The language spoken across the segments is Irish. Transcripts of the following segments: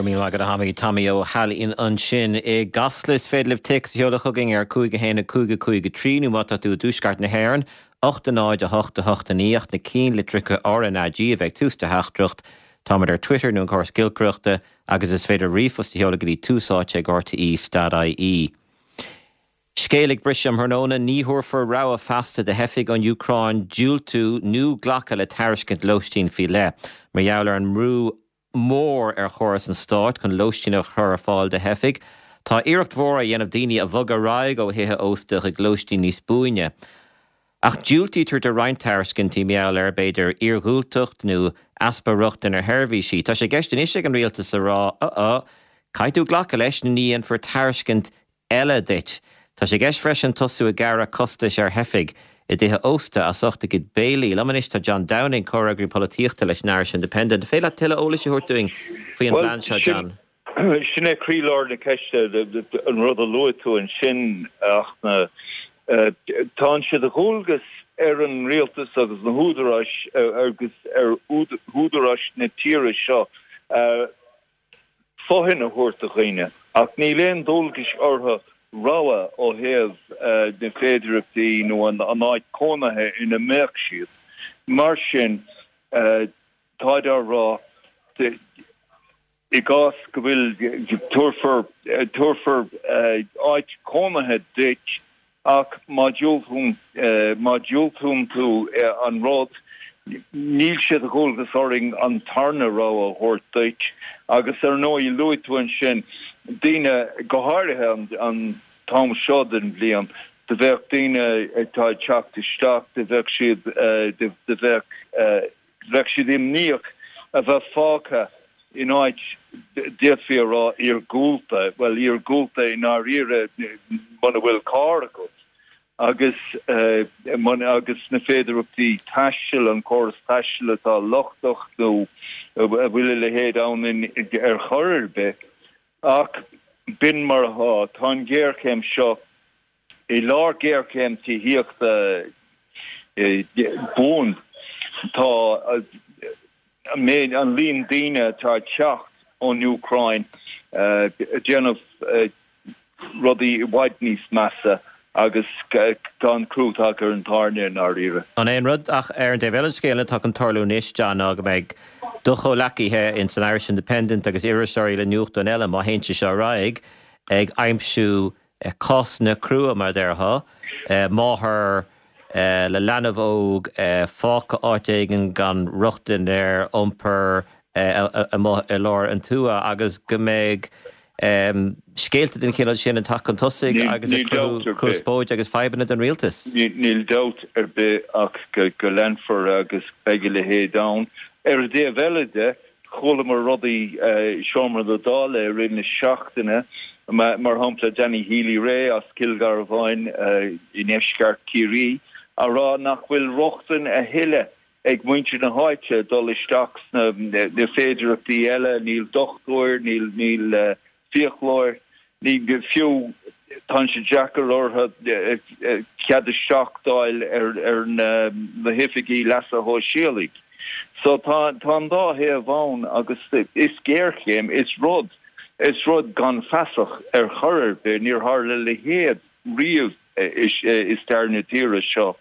Go raibh míle maith agat a Thomaí. Tomaí Ó hAilín ansin i gCasla. Is féidir libh téacs a sheoladh chugainn ar 5 1 5 5 3 nó má tá tú i dtuaisceart na hÉireann, 8 0 8 8 9 ach na cinnlitreacha RnaG a bheith ag tús do theachtaireacht. Táimid ar Twitter nó an córas giolcaireachta agus is féidir ríomhphost a sheoladh go dtí túsáite@rte.ie. Scéal ag briseadh um thráthnóna, ní thabharfar rogha feasta do theifigh ón Úcráin diúltú nó glacadh le tairiscint lóistín faoi leith. Mar gheall ar an mbrú mór ar chóras an stáit chun lóistín a chur ar fáil do theifigh, tá iarracht mhór á dhéanamh daoine a bhogadh ar aghaidh ó thithe ósta chuig lóistín níos buaine. Ach diúltaítear do roinnt tairiscintí mar gheall ar, b'fhéidir, iargúltacht nó easpa rochtain ar sheirbhísí. Tá sé i gceist anois ag an rialtas a rá, uh-uh, caithfidh tú glacadh leis nó ní dhéanfar tairiscint eile duit. Tá sé i gceist freisin tosú ag gearradh costais ar theifigh i dtithe ósta as ucht a gcuid béilí. Liom anois tá John Downing, comhfhreagraí polaitíochta leis an Irish Independent. An féidir leat tuilleadh eolais a thabhairt dúinn faoi an bplean seo, John? Sin é croílár na ceiste, an rud a luaigh tú ansin, a Fhachtna. Tá sé de dhualgas ar an rialtas agus na húdaráis agus ar údaráis na tíre seo fothain a thabhairt do dhaoine, ach níl aon dualgais orthu rogha ó thaobh na féidireachtaí nó an áit cónaithe ina mbeadh siad. Mar sin, táid á rá, i gcás go bhfuil, tabharfar, tabharfar áit cónaithe duit Ach má dhiúltaíonn, má dhiúltaíonn tú an rud, níl sé de dhualgas orainn an tarna rogha a thabhairt duit. Agus ar ndóigh, luaigh tú ansin daoine, go háirithe an t-am seo den bhliain, do bheadh daoine atá ag teacht isteach, do bheadh siad, do bheadh, Bheadh siad imníoch a bheith fágtha in áit, d'fhéadfaí a rá, iargúlta, bhuel, iargúlta i ndáiríre muna bhfuil carr agat agus agus na féidearthachtaí taistil, an córas taistil atá lochtach nó a bhfuil a leithéid ann ar chor ar bith. Ach b'in mar atá. Tá an ghéarchéim seo I lár géarchéim tithíochta buan, tá an méid, an líon daoine atá ag teacht ón Úcráin ag déanamh rudaí i bhfad níos measa agus tá an crú tagtha ar an tairne i ndáiríre. An é an rud ach ar an dtaobh eile den scéal atá chun tarlú anois, John, ná go mbeidh do chomhleacaithe ins an Irish Independent agus iriseoirí le nuachtáin eile, má théann sé seo ar aghaidh, ag aimsiú cásanna crua, mar a déarfá, máthair le leanbh óg fágtha áit éigin gan rochtain ar iompar amuigh i lár an tuath agus go mbeidh scéalta den chineál sin ag teacht chun tosaigh agus ag cruthú conspóide agus fadhbanna don rialtas. Níl dabht ar bith ach go leanfar agus beidh a leithéid ann. Ar an dtaobh eile de, Chualamar rudaí i Seomra na Dála i rith na seachtaine, mar shampla Danny Healy-Rae as Cill Gharbháin i ndeisceart Chiarraí a rá nach bhfuil rochtain a thuilleadh ag muintir na háite dul isteach sna féidireachtaí eile, níl dochtúir, níl fiaclóir, ní fiú, tá sé deacair orthu cead isteach d'fháil ar na hoifigí leasa shóisialaigh. So tá an dá thaobh ann agus is géarchéim, is rud, is rud gan feasach ar chor ar bith, níor tharla a leithéid riamh i stair na tíre seo.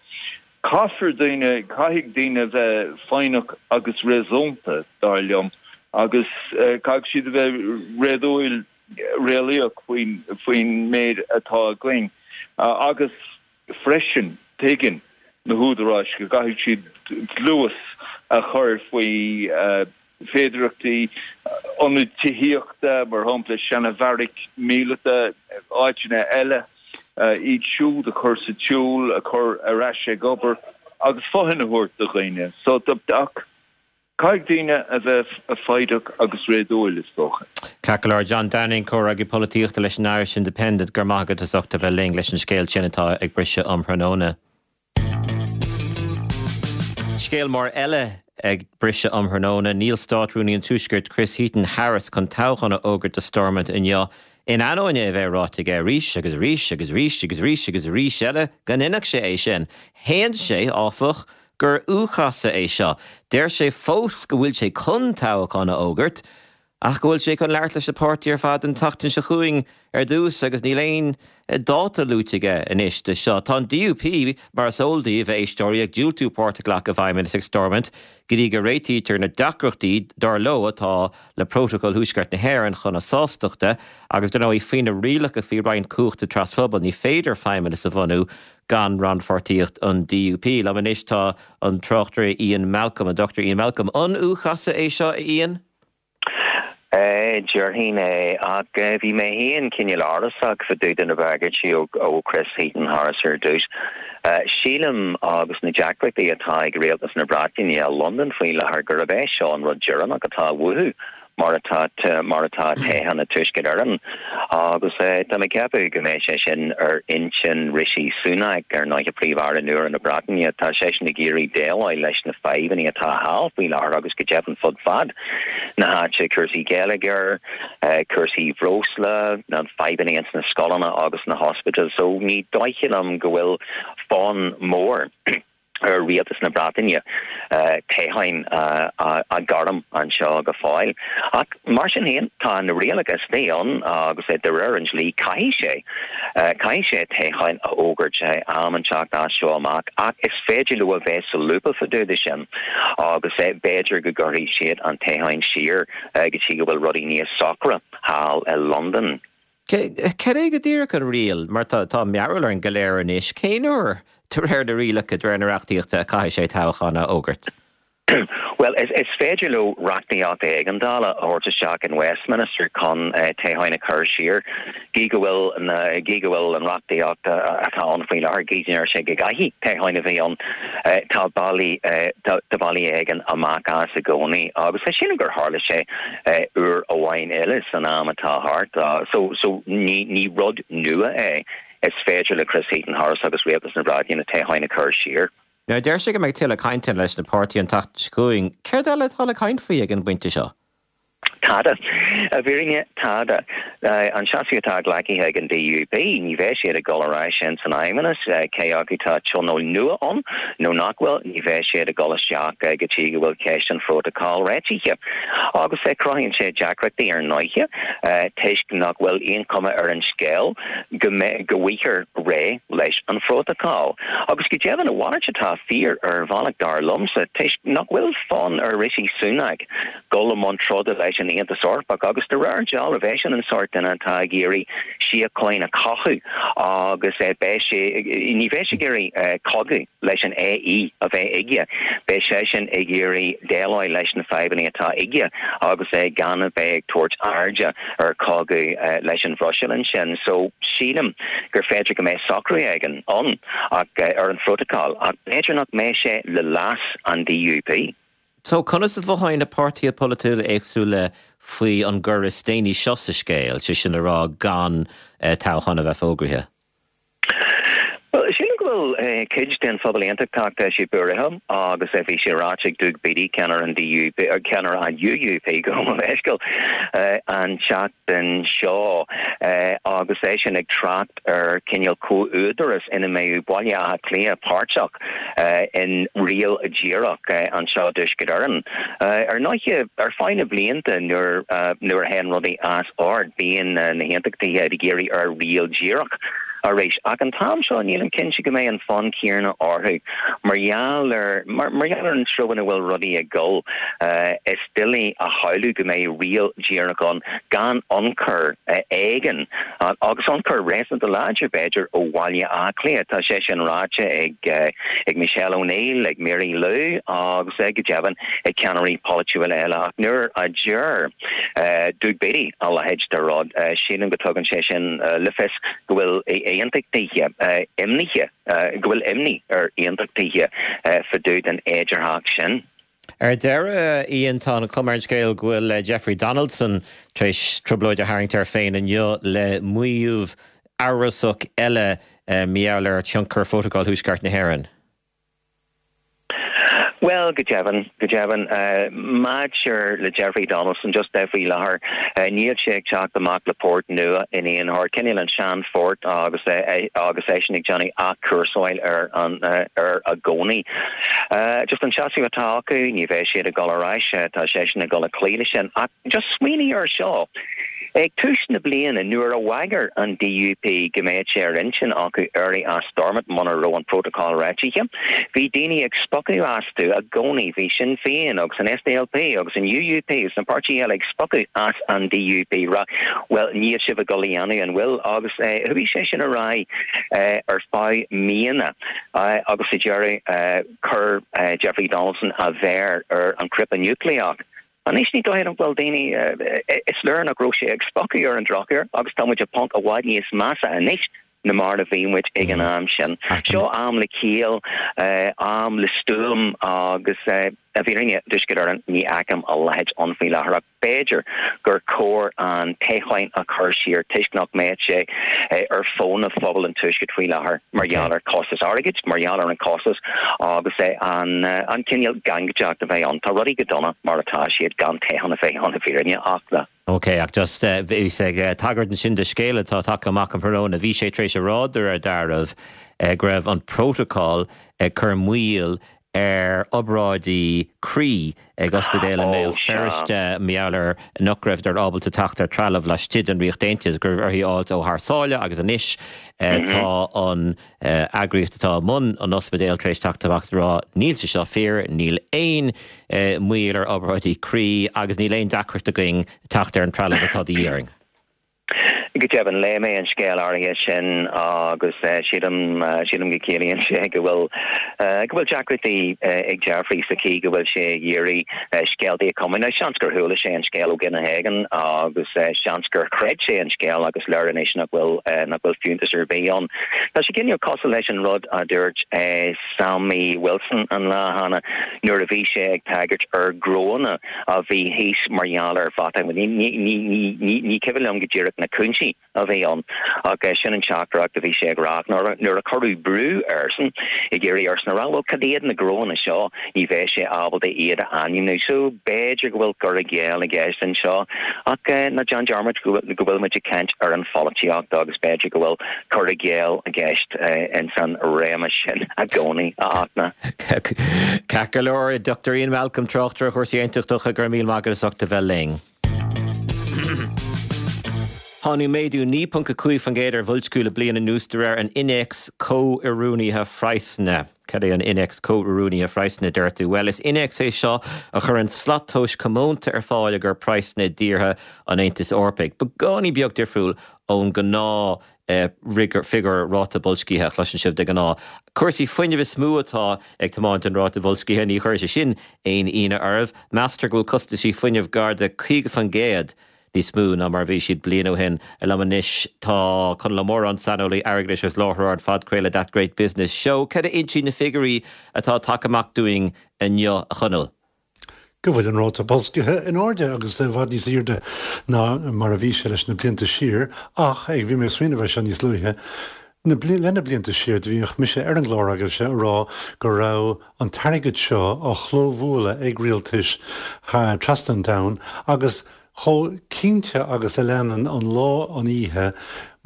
Caithfear daoine, caithfidh daoine bheith foighneach agus réasúnta, dar liom, agus caithfidh siad a bheith réadúil, réalaíoch faoin, faoin méid atá againn. Agus freisin, tuigeann na húdaráis go gcaithfidh siad dlús a chur faoi féidearthachtaí ionaid tithíochta, mar shampla seana-bheairic míleata, áiteanna eile, iad siúd a chur sa tsiúl, a chur ar ais ag obair agus fothain a thabhairt do dhaoine. So, ach caithfidh daoine a bheith foighdeach agus réadúil, is dócha. Ceart go leor. John Downing, Comhfhreagraí Polaitíochta leis an Irish Independent, go raibh maith agat as ucht a bheith linn leis an scéal sin atá ag briseadh um thráthnóna. Scéal mór eile ag briseadh um thráthnóna, níl Státrúnaí an Tuaiscirt Chris Heaton-Harris chun toghchán a fhógairt do Stormont inniu, in ainneoin é a bheith ráite aige arís agus arís agus arís agus arís agus arís eile go ndéanfadh sé é sin. Shéan sé, áfach, gur u-chasadh é seo. Deir sé fós go bhfuil sé chun toghchán a fhógairt. Ach go bhfuil sé chun labhairt leis na páirtithe ar fad an tseachtain seo chugainn ar dtús agus níl aon dáta luaite aige anois do seo. Tá an DUP, mar is eol daoibh, a éisteoirí, ag diúltú páirt a ghlacadh i bhfeidhmeannas ag Stormont go dtí go réitítear na deacrachtaí, dar leo, atá le Prótacal Thuaisceart na hÉireann chun a sástachta agus, dar ndóigh, faoi na rialacha faoi roinnt cumhachta trasphobail, ní féidir feidhmeannas a bhunú gan rannpháirtíocht an DUP. Liom anois tá an tráchtaire Ian Malcolm, an Dr Ian Malcolm. An U-chasadh é seo, a Ian? Déarfainn é, ach bhí mé féin cineál amhrasach fá dtaobh de na bagairtí ó Chris Heaton-Harris ar dtús. Sílim, agus na deacrachtaí atá ag rialtas na Breataine i Londain faoi láthair, gurb é seo an rud deireanach atá uathu. mar atá mar atá toghchán i dTuaisceart Éireann agus tá mé ag ceapadh go mbeidh sé sin ar intinn Rishi Sunak, ar ndóighe Príomh-Aire nua na Breataine. Tá seisean ag iarraidh déileáil leis na fadhbanna atá thall faoi láthair agus go deimhin fud fad na háite, cúrsaí geilleagair, cúrsaí breosla, na fadhbanna ins na scoileanna agus na hospidéil. So ní dóiche liom go bhfuil fonn mór ar rialtas na Breataine toghchán a ghairm anseo go fóill. Ach mar sin féin, tá na rialacha istigh ann agus de réir an dlí caithfidh sé caithfidh sé toghchán a fhógairt am inteacht as seo amach ach is féidir leo a bheith sa lúpa fá dtaobh de sin agus b'fhéidir go gcuirfidh siad an toghchán siar go dtí go bhfuil rudaí níos socra thall i Londain. Cad é go díreach an riail, mar tá mearbhall orainn go léir anois, cén uair, de réir na rialacha, de réir na reachtaíochta, a chaithfidh sé toghchán a fhógairt? Bhuel, is féidir leo reachtaíocht éigeandála a thabhairt isteach in Westminster chun toghcháin a chur siar. Gidh go bhfuil na, gidh go bhfuil an reachtaíocht atá ann faoi láthair, gidh go ndeir sé go gcaithfidh toghcháin a bheith ann, tá bealaí, tá bealaí éigin amach as i gcónaí agus sílim gur tharla sé uair amháin eile san am atá thart. So, so ní, ní rud nua é. Is féidir le Chris Heaton-Harris agus Rialtas na Breataine toghcháin a chur siar. Now, deir sé go mbeidh tuilleadh cainteanna leis na páirtithe an tseachtain seo chugainn. Céard eile atá le caint faoi ag an bpointe seo? Tada. I bhfírinne, tada. An seasamh atá glactha ag an DUP, ní bheidh siad ag dul ar ais ins an fheidhmeannas, cé acu tá tionól nua ann nó nach bhfuil, ní bheidh siad ag dul isteach go dtí go bhfuil ceist an phrótacail réitithe. Agus cruthaíonn sé deacrachtaí ar ndóighe, toisc nach bhfuil aon chuma ar an scéal go mbeidh, go bhfaighfear réidh leis an phrótacal. Agus go deimhin, a mhalairt atá fíor ar bhealach dar liomsa, toisc nach bhfuil fonn ar Rishi Sunak dul i mbun troda leis an Aontas Eorpach agus de réir dealraimh eisean an sórt duine atá ag iarraidh síocháin a chothú agus beidh sé, ní bheidh sé ag iarraidh cogadh leis an AE a bheith aige, beidh seisean ag iarraidh déileáil leis na fadhbanna atá aige agus é gan a bheith ag tabhairt airde ar chogadh leis an Bhruiséil ansin. So sílim gur féidir go mbeidh socrú éigin ann ach ar an phrótacal ach b'fhéidir nach mbeidh sé le leas an DUP. So, conas a mhothaíonn na páirtithe polaitiúla éagsúla faoi an gcor is déanaí seo sa scéal, sé sin le rá gan toghchán a bheith fógraithe? Bhuel, sílim go bhfuil cuid den phobal aontachtach, tá siad buartha agus bhí sé ráite ag Doug Beattie, ceannaire an DUP, ceannaire an UUP, gabh mo leithscéal, an tseachtain seo agus eisean ag trácht ar chineál comh-údaras ina mbeadh Baile Átha Cliath páirteach in riail dhíreach anseo i dTuaisceart Éireann. Ar ndóighe, ar feadh na blianta nuair a théann rudaí as ord, bíonn na hAontachtaithe ag iarraidh ar riail dhíreach arís. Ach an t-am seo, nílim cinnte go mbeidh an fonn céanna orthu mar gheall ar mar gheall ar an treo ina bhfuil rudaí ag dul. Is doiligh a shamhlú go mbeidh riail dhíreach ann gan ionchur éigin, agus ionchur réasúnta láidir, b'fhéidir, ó Bhaile Átha Cliath. Tá sé sin ráite ag Michelle O'Neill, ag Mary Lou agus, go deimhin, ag ceannairí polaitiúla eile. Ach nuair a deir Doug Beattie a leithéid de rud, sílim go dtugann sé sin le fios go bhfuil aontachtaithe imníoch, go bhfuil imní ar aontachtaithe fá dtaobh den fhéidearthacht sin. Ar deireadh, Ian, tá an chuma ar an scéal go bhfuil Jeffrey Donaldson tar éis trioblóid a tharraingt air féin inniu le maíomh amhrasach eile mar gheall ar thionchar Phrótacal Thuaisceart na hÉireann. Bhuel, go deimhin, go deimhin. Maidir le Jeffrey Donaldson, just faoi láthair, níl sé ag teacht amach le port nua in aon chor. Cineál an sean-phort agus agus eisean ag déanamh athchúrsáil air an air i gcónaí. Just an seasamh atá acu, ní bheidh siad ag dul ar ais, tá seisean ag dul a cloí leis sin. Ach just smaoinigh ar seo. Ag tús na bliana, nuair a bhagair an DUP go mbeadh sé ar intinn acu éirí as Stormont muna raibh an prótacal réitithe, bhí daoine ag spochadh astu i gcónaí. Bhí Sinn Féin agus an SDLP agus an UUP agus na páirtithe eile ag spochadh as an DUP, ag rá, bhuel, níl sibh ag dul a dhéanamh, an bhfuil? Agus chuaigh sé sin ar aghaidh ar feadh míonna agus sa deireadh chuir Jeffrey Donaldson a mhéar ar an chnaipe núicléach. Anois ní dóigh liom go bhfuil daoine, is léir nach raibh sé ag spochadh ar an drochuair agus tá muid i bponc i bhfad níos measa anois ná mar a bhí muid ag an am sin. Seo am le ciall, am le stuaim agus i bhfírinne i dTuaisceart Éireann ní fheicim a leithéid ann faoi láthair ach b'fhéidir gur chóir an toghchán a chur siar toisc nach mbeadh sé ar fónamh phobal an Tuaiscirt faoi láthair mar gheall ar chostas airgid, mar gheall ar an chostas agus an an cineál gangaideacht a bheidh ann. Tá rudaí go dona mar atá siad gan toghchán a bheith ann i bhfírinne ach le. Ok, ach just bhíos ag tagairt ansin do scéal atá tagtha amach um thráthnóna. Bhí sé tar éis a rá de réir dealraimh go raibh an prótacal ag cur moill ar obráidí croí ag ospidéal i mBéal Feirste mar gheall ar nach raibheadar ábalta teacht ar trealamh laistigh den Ríocht Aontaithe, go raibh orthu a fháilt ó thar sáile agus anois tá an eagraíocht atá i mbun an ospidéil tar éis teacht amach is a rá níl sé seo fíor, níl aon mhoill ar obráidí croí agus níl aon deacracht againn teacht ar an trealamh atá de dhíth orainn. Go deimhin, léigh mé an scéal áirithe sin agus sílim, sílim go gciallaíonn sé go bhfuil, go bhfuil deacrachtaí ag Jeffrey sa chaoi go bhfuil sé ag iarraidh scéaltaí a chumadh. Now, seans gur chuala sé an scéal ó dhuine éigin agus seans gur chreid sé an scéal agus léir anois nach bhfuil, nach bhfuil fiúntas ar bith ann. Tá sé cineál cosúil leis an rud a dúirt Sammy Wilson an lá cheana nuair a bhí sé ag tagairt ar ghnónna a bhí thíos mar gheall ar Mheáchan. Ní cuimhin liom go díreach na cúinsí a bhí ann ach sin an teachtaireacht a bhí sé ag rá. Nuair a cuireadh brú airsean ag iarraidh airsean a rá bhuel cad iad na gnóanna seo ní bheadh sé ábalta iad a ainmniú. So b'fhéidir go bhfuil cur i gcéill i gceist anseo ach ná déan dearmad go bhfuil muid ag caint ar an pholaitíocht agus b'fhéidir go bhfuil cur i gcéill i gceist ins an réimse sin i gcónaí, a Fhachtna. Ceart go leor, Dr Ian Malcolm, tráchtaire chúrsaí aontachtacha, go raibh míle maith agat as ucht a bheith linn. Tháinig méadú 9.5% ar bhoilsciú le bliain anuas de réir an Innéacs Comhoiriúnaithe Phraghsanna. Cad é an Innéacs Comhoiriúnaithe Phraghsanna, a deir tú? Bhuel, is innéacs é seo a chuireann slat tomhais comónta ar fáil i gcomhair praghsanna i dtíortha an Aontais Eorpaigh. Beagáinín beag difriúil ón ngnáth figiúr ráta boilscithe a chloiseann sibh de ghnáth. Cúrsaí fuinnimh is mó atá ag tiomáint an ráta bhoilscithe, ní chuirfidh sé sin aon ionadh oraibh. Meastar go bhfuil costaisí fuinnimh gar do 50% níos mó ná mar a bhí siad bliain ó shin. Liom anois tá Conall Ó Móráin, saineolaí airgeadais agus láithreoir an phodchraoladh That Great Business Show. Cad a insíonn na figiúirí atá tagtha amach dúinn inniu, a Chonaill? go bhfuil an ráta boilscithe in airde agus i bhfad níos airde ná mar a bhí sé leis na blianta siar ach, ag, bhí mé ag smaoineamh air seo níos luaithe, na, le na blianta siar do bhíodh mise ar an gclár agaibhse a rá go raibh an t-airgead seo á chlóbhualadh ag rialtais trasna an domhain agus Chomh cinnte agus a leanann an lá an oíche,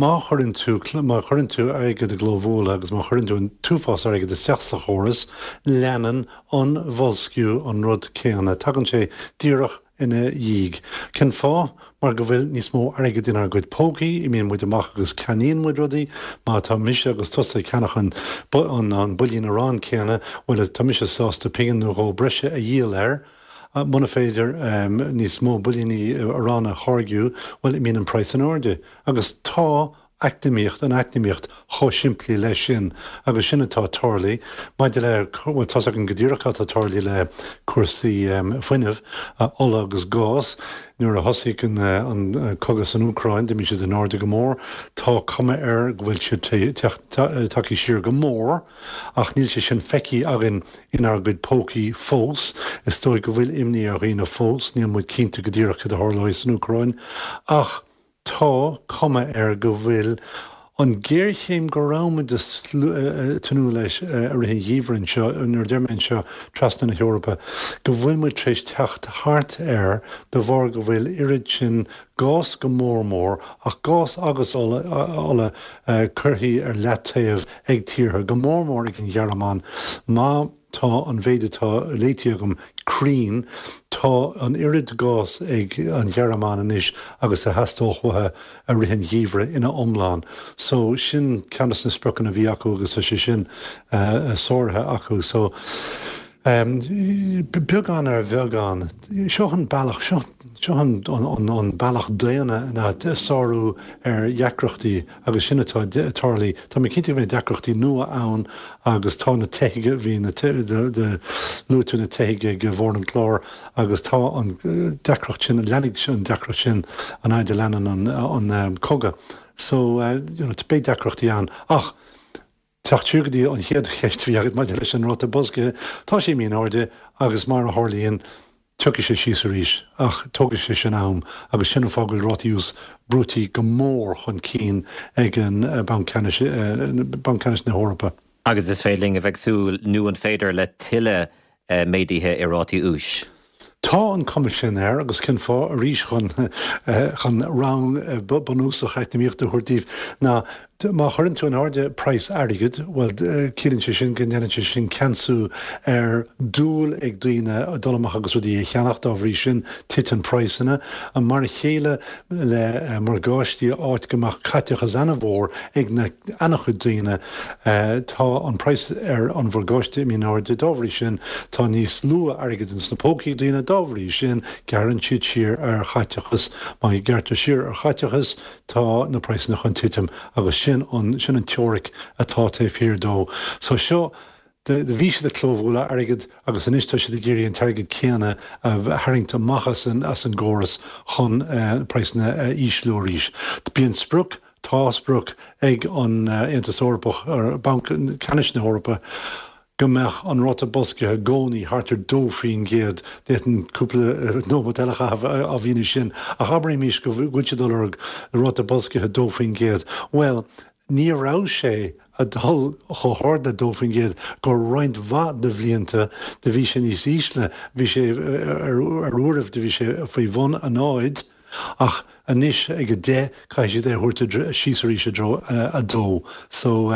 má chuireann tú, má chuireann tú airgead i gclóbhualadh agus má chuireann tú an t-uafás airgid isteach sa chóras, leanann an boilsciú an rud céanna, tagann sé díreach ina dhiaidh. Cén fáth? Mar go bhfuil níos mó airgid inár gcuid pócaí, imíonn muid amach agus ceannaíonn muid rudaí. Má tá mise agus tusa ag ceannach an, an builín aráin céanna, bhuel, tá mise sásta pingin nó dhó breise a dhíol air. Muna féidir níos mó builíní aráin a tháirgiú, bhuel, imíonn an praghas in airde. Agus tá eacnamaíocht, an eacnamaíocht, chomh simplí leis sin. Agus sin atá tarlaithe. Maidir le, bhuel, tá's againn go díreach cad atá tarlaithe le cúrsaí fuinnimh, ola agus gás. Nuair a thosaigh an cogadh san Úcráin, d'imigh siad in airde go mór. Tá cuma air go bhfuil siad tagtha siar go mór. Ach níl sé sin feicthe againn inár gcuid pócaí fós. Is dóigh go bhfuil imní ar dhaoine fós, níl muid cinnte go díreach cad a tharlóidh san Úcráin, ach tá cuma air go bhfuil An ghéarchéim go raibh muid ag tnúth leis i rith an gheimhridh anseo, nuair a deir mé anseo, trasna na hEorpa, go bhfuil muid tar éis teacht thart air de bharr go bhfuil oiread sin gás go mór mór, ach gás agus ola, ola curtha ar leataobh ag tíortha, go mór mór ag an Ghearmáin. Má tá an mhéid atá léite agam cruinn, tá an oiread gás ag an Ghearmáin anois agus a theastódh uathu i rith an gheimhridh ina iomlán. So, sin ceann des na spriocanna a bhí acu agus tá sé sin sáraithe acu. So, beagán ar bheagán, seo an bealach, seo seo an an bealach daonna ná sárú ar dheacrachtaí. Agus sin atá ag tarlú. Tá mé cinnte go mbeidh deacrachtaí nua ann agus tá na teifigh, bhí na, luaigh tú na teifigh ag bharr an chláir agus tá an deacracht sin, leanfaidh an deacracht sin an fhaid a leanann an cogadh. So, you know, beidh deacrachtaí ann. Ach teacht siar go dtí an chéad cheist a bhí agat maidir leis an ráta boilscithe, tá sé imithe in airde agus mar a tharlaíonn, Tiocfaidh sé síos arís, ach tógfaidh sé sin am, agus sin an fáth go bhfuil rátaí úis brúití go mór chun cinn ag an Banc Ceannais, Banc Ceannais na hEorpa. Agus is féidir linn a bheith ag súil, nó an féidir, le tuilleadh méaduithe i rátaí úis? Tá an cuma sin air, agus cén fáth, arís chun chun rang bunúsach eacnamaíochta a thabhairt daoibh, ná Má chuireann tú in airde praghas airgid, bhuel, ciallaíonn sé sin go ndéanann sé sin ceansú ar dúil ag daoine dul amach agus rudaí a cheannach, dá bhrí sin, titeann praghsanna. Mar a chéile le morgáistí, áit go mbeadh caiteachas ana-mhór ag na ana-chuid daoine, tá an praghas ar an mhorgáiste imithe in airde, dá bhrí sin, tá níos lú airgid ins na pócaí ag daoine, dá bhrí sin, gearrann siad siar ar chaiteachas. Má ghearrtar siar ar chaiteachas, Tá na praghsanna chun titim agus sin an, sin an teoiric atá taobh thiar dó. So seo, do bhí siad ag clóbhualadh airgead agus anois tá siad ag iarraidh an t-airgead céanna a tharraingt amach as an, as an gcóras chun praghsanna a ísliú arís. Bíonn sprioc, tá sprioc ag an Aontas Eorpach, Banc Ceannais na hEorpa, go mbeadh an ráta boilscithe i gcónaí thart ar 2%. D'fhéadfainn cúpla nóiméad eile a chaitheamh á mhíniú sin, ach abraimis go bhfuil siad ag lorg ráta boilscithe 2%. Bhuel, ní raibh sé ag dul chomh hard le 2% go roinnt mhaith de bhlianta, do bhí sé níos ísle, bhí sé ar uairibh do bhí sé faoi bhun a náid. Ach anois ag 10, caithfidh siad é a thabhairt síos arís i dtreo 2. So,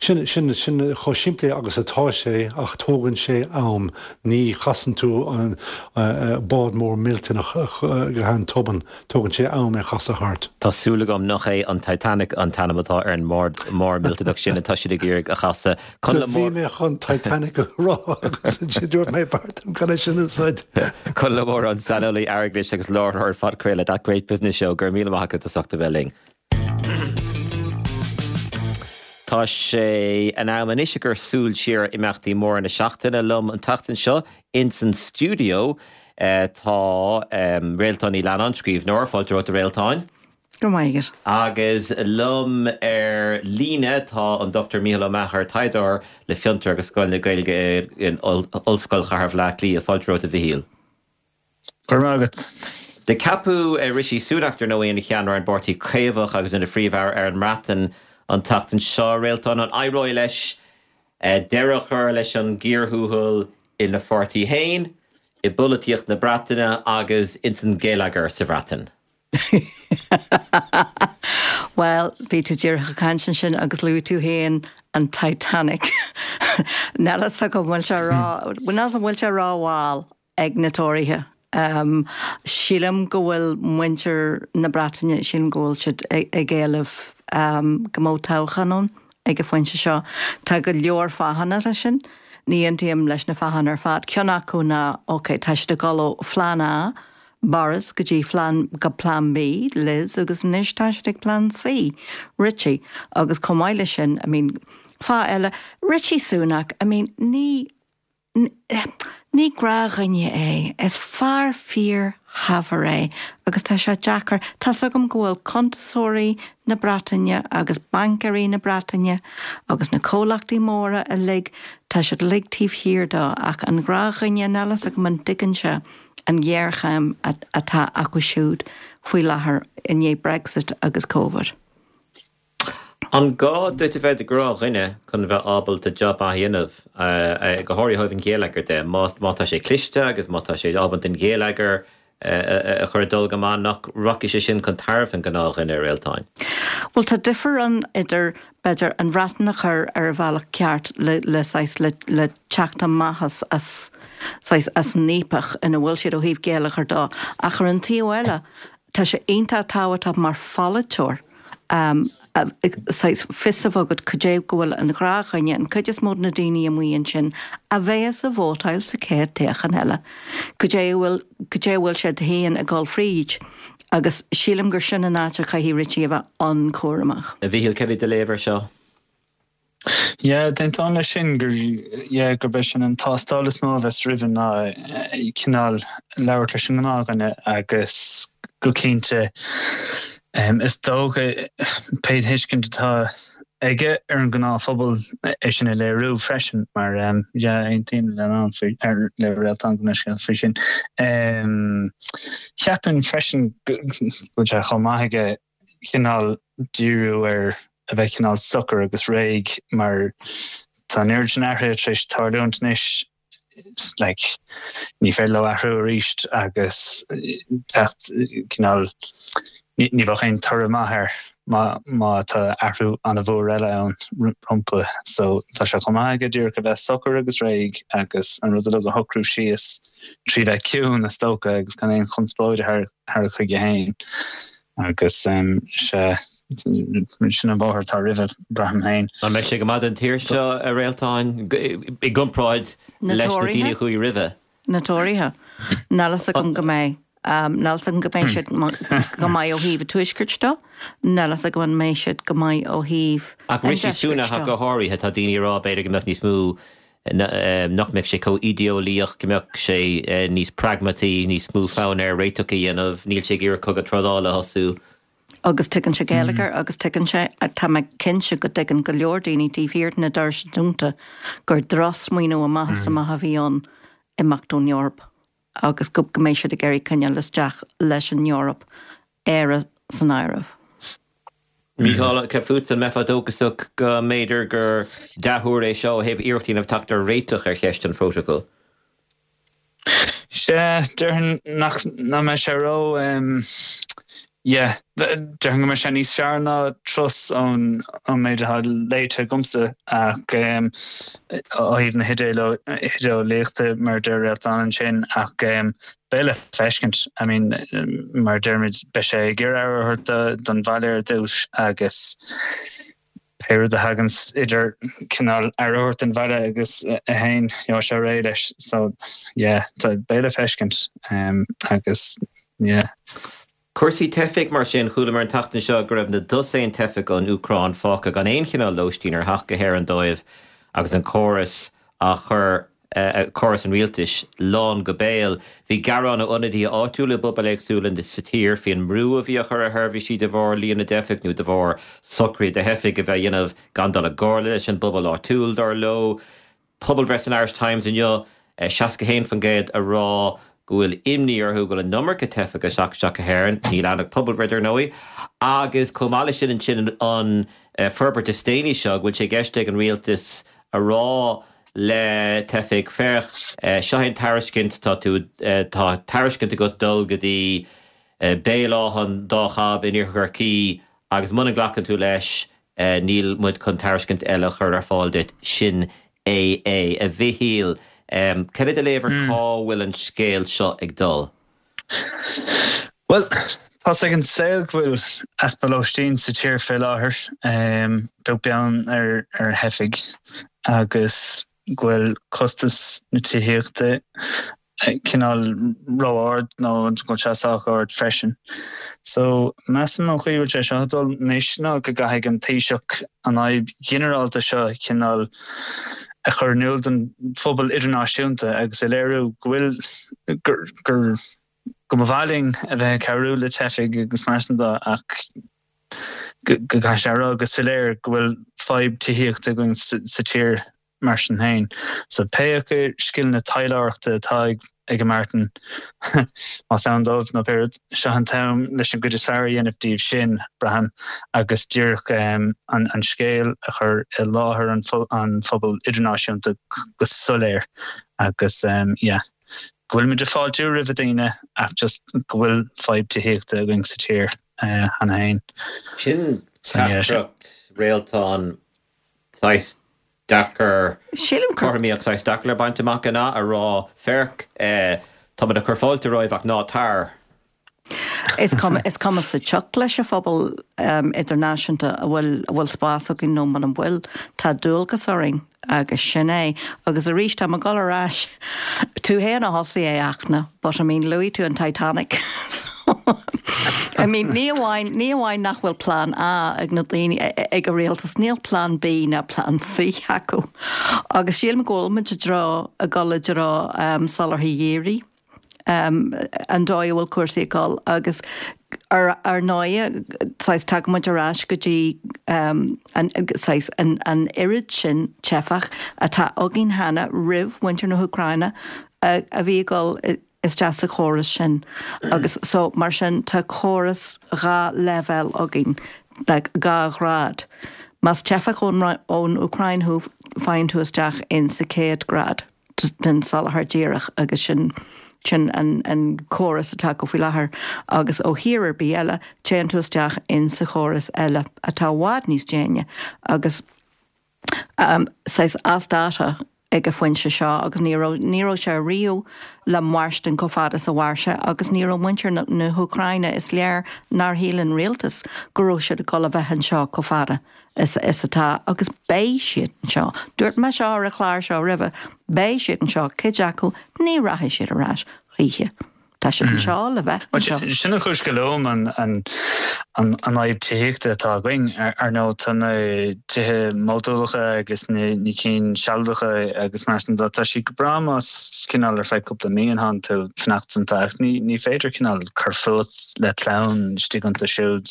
sin, sin, sin chomh simplí agus atá sé ach tógann sé am. Ní chasann tú an bád mór millteanach go han-tobann. Tógann sé am é a chasadh thart. Tá súil agam nach é an Titanic an t-ainm atá ar an mbád mór millteanach sin atá siad ag iarraidh a chasadh. Do bhí mé chun Titanic a rá agus ansin dúirt mé b'fhearr dom gan é sin a úsáid. Conall Ó Móráin, saineolaí airgeadais agus láithreoir phodchraoladh That Great Business Show, go raibh míle maith agat as ucht a bheith linn. Tá sé in am anois a chur súil siar ar imeachtaí móra na seachtaine. Liom an tseachtain seo ins an stiúideo tá Réaltán Ní Leannáin, scríbhneoir. Fáilte romhat a Réaltáin. Go raibh maith agat. Agus liom ar líne tá an Dr Mícheál Ó Meachair, taighdeoir le Fiontar agus Scoil na Gaeilge in Ollscoil Chathair Bhaile Átha Cliath. Fáilte romhat a Mhichíl. Go raibh maith agat. Do ceapadh Rishi Sunak, dar ndóigh, ina cheannaire ar an bPáirtí Caomhach agus ina Phríomh-Aire ar an mBreatain an tseachtain seo. Réaltán, an éireoidh leis deireadh a chur leis an gcíor thuathail ina pháirtí féin, i bpolaitíocht na Breataine agus ins an gheilleagar sa Bhreatain? Bhuel, bhí tú díreach ag caint ansin agus luaigh tú féin an Titanic. Níl a fhios agam an bhfuil sé ró, níl a fhios an bhfuil sé rómhall ag na Tóraithe. Sílim go bhfuil muintir na Breataine, sílim go bhfuil siad ag éileamh go mbeadh toghchán ann ag an phointe seo. Tá go leor fáthanna leis sin. Ní aontaím leis na fáthanna ar fad. Ceann acu ná, ok, tá siad ag dul ó phlean A, Boris go dtí phlean, go Plean B, Liz, agus anois tá siad ag Plean C, Rishi. Agus chomh maith leis sin, I mean, fáth eile, Rishi Sunak, I mean, ní, ní gnáthdhuine é, is fear fíorshaibhir é agus tá sé deacair, tá's agam go bhfuil cuntasóirí na Breataine agus baincéirí na Breataine agus na comhlachtaí móra uilig, tá siad uilig taobh thiar dó ach an gnáthdhuine, níl a fhios agam an dtuigeann sé an ghéarchéim atá acu siúd faoi láthair i ndiaidh Brexit agus Covid. An gá duit a bheith i do ghnáthdhuine chun a bheith ábalta jab maith a dhéanamh, go háirithe ó thaobh an gheilleagair de? Má tá sé cliste agus má tá sé ábalta an geilleagar a chur ag dul go maith, nach rachaidh sé sin chun tairbhe an ghnáthdhuine, a Réaltáin? Bhuel, tá difear ann idir, b'fhéidir, an Bhreatain a chur ar a bhealach ceart le, le saghas, le, le teacht amach as, as, saghas, as an fhaopach ina bhfuil siad ó thaobh geilleagair de, ach ar an taobh eile, Tá sé iontach tábhachtach mar pholaiteoir saghas fios a bheith agat cad é go bhfuil an gnáthdhuine, an cuid is mó de na daoine amuigh ansin a bheas ag vótáil sa chéad toghchán eile, cad é a bhfuil, cad é a bhfuil siad féin ag dul fríd. Agus sílim gur sin an áit a chaithfidh Richie a bheith an-chúramach. A Mhíchíl, céard é do léamh ar seo? Yeah, d'aontóinn leis sin gur, yeah, gurb é sin an tástáil is mó a bheas roimhe ná cineál labhairt leis an ngnáthdhuine agus go cinnte is dócha pé tuiscint atá aige ar an ngnáthphobal é sin a léiriú freisin mar yeah, aontaím le Ann faoi, le Réaltán gabh mo leithscéal faoi sin. Cheapfainn freisin go bhfuil sé chomh maith aige cineál díriú ar a bheith cineál socair agus réidh mar tá an oiread sin athruithe tar éis tarlúint anois like ní féidir leo athrú arís agus teacht cineál ní bheadh aon toradh maith air má má tá athrú an-mhór eile ann rompu so tá sé chomh maith aige díreach a bheith socair agus réidh agus an rud uilig a shocrú síos trí bheith ciúin is dócha agus gan aon chonspóid a tharrac chuige féin. Agus sea, sin an bóthar atá roimhe, braithim féin. An mbeidh sé go maith don tír seo, a Réaltáin, i gcomparáid leis na daoine a chuaigh roimhe? Na Tóraithe? Níl fhios agam go mbeidh. Níl fhios agam go mbeidh siad go maith ó thaobh an tuaiscirt de. Níl fhios agam an mbeidh siad go maith ó thaobh an deiscirt de. Ach Rishi Sunak ach go háirithe, tá daoine ag rá b'fhéidir go mbeadh níos mó nach mbeadh sé chomh ídéolaíoch, go mbeadh sé níos pragmataí, níos mó fonn air réiteach a dhéanamh, níl sé ag iarraidh cogadh trádála a thosú. Agus tuigeann sé geilleagar agus tuigeann sé, tá mé cinnte go dtuigeann go leor daoine taobh thiar de na doirse dúnta gur drochsmaoineamh amach is amach a bhí ann imeacht ón Eoraip agus go mbeidh siad ag iarraidh coinneáil isteach leis an Eoraip, Éire san áireamh. Mícheál, céard fútsa, an mbeifeá dóchasach go mb'fhéidir gur dea-thuar é seo ó thaobh iarracht a dhéanamh teacht ar réiteach ar cheist an phrótacail? Sea, déarfainn nach mbeidh sé ró, yeah, déarfainn go mbeidh sé níos fearr ná Truss ón méid atá léite agamsa ach ó thaobh na hidéolaíochta mar a deir Réaltán ansin ach Beidh le feiscint. I mean, mar a deirimid, beidh sé ag iarraidh aire a thabhairt don bhaile ar dtús agus pé rud a thaganns idir cineál aire a thabhairt don bhaile agus é féin, gheobhaidh sé réidh leis. So, yeah, beidh le feiscint agus, yeah. Cúrsaí teifigh, mar sin, chualamar an tseachtain seo go raibh na dosaen teifeach ón Úcráin fágtha gan aon chineál lóistín ar theacht go hÉirinn dóibh agus an córas á chur, córas an rialtais, lán go béal. Bhí gearáin ó ionadaithe áitiúla i bpobail éagsúla sa tír faoin mbrú a bhí á chur ar sheirbhísí de bharr líon na dteifeach nó de bharr socruithe do theifigh a bheith á dhéanamh gan dul i gcomhairle leis an bpobal áitiúil, dar leo. Pobalbhreith san Irish Times inniu, 61% a rá go bhfuil imní orthu go bhfuil an iomarca teifeach ag teacht isteach go hÉirinn, níl ann ach pobalbhreith dar ndóigh, agus chomh maith leis sin ansin an forbairt is déanaí seo go bhfuil sé i gceist ag an rialtas a rá le teifigh, féach, seo é an tairiscint, tá tú, tá tairiscint agat dul go dtí Béal Átha an Dá Chab in Iarthar Chorcaí agus muna nglacann tú leis, Níl muid chun tairiscint eile a chur ar fáil duit, sin é é. A Mhichíl, cad é do léamh ar cá bhfuil an scéal seo ag dul? Bhuel, tá's ag an saol go bhfuil easpa lóistín sa tír fé láthair, beag beann ar theifigh, agus go bhfuil costas na tithíochta cineál ró-ard nó go bhfuil sé sách ard freisin. So, measaim an chaoi a bhfuil sé seo ag dul anois ná go gcaithfidh an Taoiseach an fhadhb ghinearálta seo cineál a chur in iúl don phobal idirnáisiúnta agus a léiriú go bhfuil gur gur go mba mhaith linn a bheith ag cabhrú le teifigh agus mar sin de ach go gcaithfidh sé a rá go soiléir go bhfuil fadhb tithíochta againn sa tír. mar sin féin. So pé acu scileanna taidhleoireachta atá ag ag Martin, más ann dóibh nó pé rud, seo an t-am leis an gcuid is fearr a dhéanamh díobh sin, braithim, agus díreach an scéal a chur i láthair an phobail idirnáisiúnta go soiléir agus yeah, go bhfuilimid ag fáiltiú roimh daoine ach just go bhfuil fadhb tithíochta againn sa tír cheana féin. Sin teachtaireacht Réaltán saghas deacair, Sílim gur. cothromaíocht saghas deacair le baint amach an ea? A rá, féach, táimid ag cur fáilte romhaibh ach ná tar. Is cuma, is cuma sa tsioc leis an phobal idirnáisiúnta an bhfuil, an bhfuil spás againn nó muna bhfuil. Tá dualgas orainn agus sin é. Agus arís, tá mé ag dul ar ais, tú féin a thosaigh é, a Fhachtna, but I mean, luaigh tú an Titanic. I mean, ní amháin, ní amháin nach bhfuil plean A ag na daoine, ag an rialtas, níl plean B ná plean C acu. Agus sílim go bhfuil muid i dtreo, ag dul i dtreo soláthair dhírigh, an dóigh a bhfuil cúrsaí ag dul agus ar, ar ndóigh, saghas, tagann muid ar ais go dtí an, saghas, an, an oiread sin teifeach atá againn cheana roimh mhuintir na hÚcráine a, a bhí ag dul i, isteach sa chóras sin agus so mar sin tá córas 2 leibhéal againn, like 2 ghrád. Más teifeach ón ón Úcráin thú faigheann tú isteach in sa chéad grád den soláthar díreach agus sin sin an an córas atá acu faoi láthair agus ó thír ar bith eile téann tú isteach in sa chóras eile atá i bhfad níos déine agus saghas as dáta ag an phointe seo agus ní raibh, ní raibh sé riamh le mairstin chomh fada is a mhair sé agus ní raibh muintir na, na hÚcráine, is léir nár shíl an rialtas go raibh siad ag dul a bheith anseo chomh fada is, is atá agus beidh siad anseo. Dúirt mé seo ar an chlár seo roimhe, beidh siad anseo, cuid acu, ní rachaidh siad ar ais choíche. Tá siad anseo le bheith anseo. Sin an chúis go luaim an fhadhb tithíochta atá againn. Ar ndóigh, tá na tithe modúlacha agus na cinn sealadacha agus mar sin de, tá siad go breá más cineál ar feadh cúpla mí atánn tú ag fanacht iontu ach ní féidir cineál cur fút le clann istigh iontu siúd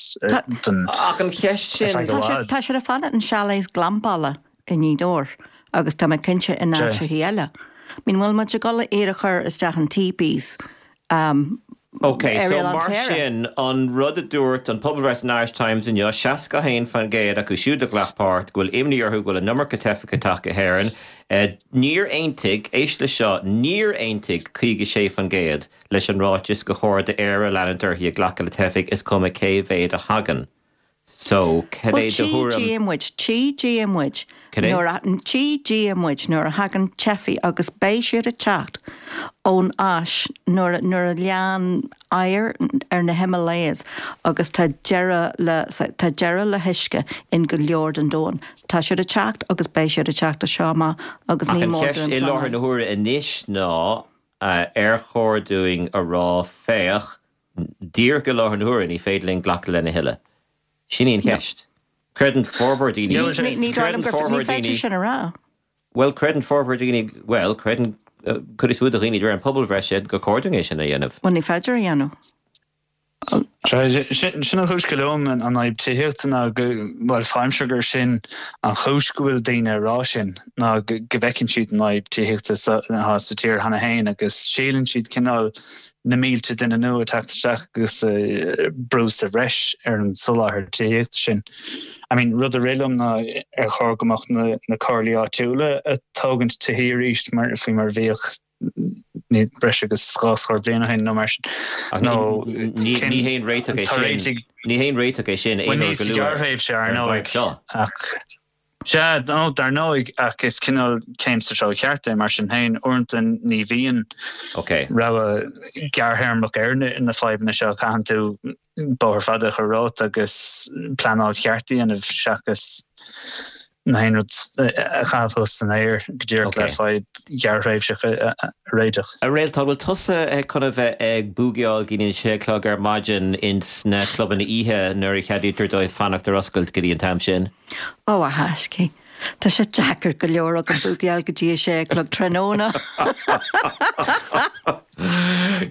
don Ach an cheist sin. Tá siad ag fanacht in chalets glampála. i nGaoth Dobhair agus tá mé cinnte in áiteachaí eile. I mean, bhfuil muid ag dul iad a chur isteach in teepees Ok, ar so Oileán mar Chléire? sin, an rud a dúirt an pobalbhreith san Irish Times inniu, 61% acu siúd a ghlac páirt, go bhfuil imní orthu go bhfuil an iomarca teifeach ag teacht go hÉirinn. Níor aontaigh, éist leis seo, níor aontaigh 56% leis an ráiteas gur chóir d'Éire leanúint uirthi ag glacadh le teifigh, is cuma cé mhéad a thagann. So, cad Bhuel, é do tchí thuairim? Dia muid, tchí Dia muid Cad é? nuair a, tchí Dia muid nuair a thagann teifigh agus beidh siad ag teacht ón Áis nuair a, nuair a leánn oighear ar na Himalayas agus tá deireadh le, tá deireadh le huisce in go leor den domhan. Tá siad ag teacht agus beidh siad ag teacht as seo amach agus Ach ní an mór cheist dúinn i láthair pleanáil. na huaire anois ná, ar chóir dúinn a rá, féach, Díreach i láthair na huaire, ní féidir linn glacadh lena thuilleadh. Sin í an cheist. Creideann formhór daoine, Ní dóigh liom creideann gur, ní formhór féidir daoine, sin a rá. bhuel, creideann formhór daoine, bhuel, creideann cuid is mó de dhaoine de réir an pobalbhreith sin gur chóir dúinn é sin a dhéanamh. Bhuel, ní féidir a dhéanamh. Sin an chúis go luaim an fhadhb tithíochta ná go, bhuel, faighimse gur sin an chúis go bhfuil daoine ag rá sin ná go bhfeiceann siad an fhadhb tithíochta atá sa tír cheana féin agus síleann siad cineál na mílte duine nua ag teacht isteach agus brú sa bhreis ar an soláthar tithíochta sin. I mean, rud a rith liom ná ar chóir go mbeadh na, na comhairlí áitiúla ag tógaint tithí arís mar, faoi mar a bhíodh ní, breis agus 2 scór bliain ó shin nó mar sin. Ach Nó ní, cén, ní haon réiteach é tá sin, réitigh, ní haon réiteach é sin bhuel aon ní uair go sa luath ghearrthréimhse ar ar an bhfadhb ndóigh seo. ach Sea, nó dar ndóigh, ach is cineál céim sa treo cheart é mar sin féin. Uaireanta ní bhíonn rogha gearrthéarmach ar na fadhbanna seo, caitheann tú bóthar fada a chur romhat agus pleanáil cheart a dhéanamh seachas na haon rud a chaitheamh thuas san aer go díreach le fadhb ghearrthréimhseach a réiteach. A Réaltán, bhfuil tusa chun a bheith ag búgaíáil go dtí an sé a chlog ar maidin ins na clubanna oíche nuair a cheadaítear dóibh fanacht ar oscailt go dtí an t-am sin? Ó, a thaiscí, tá sé deacair go leor agam búgaíáil go dtí a sé a chlog tráthnóna.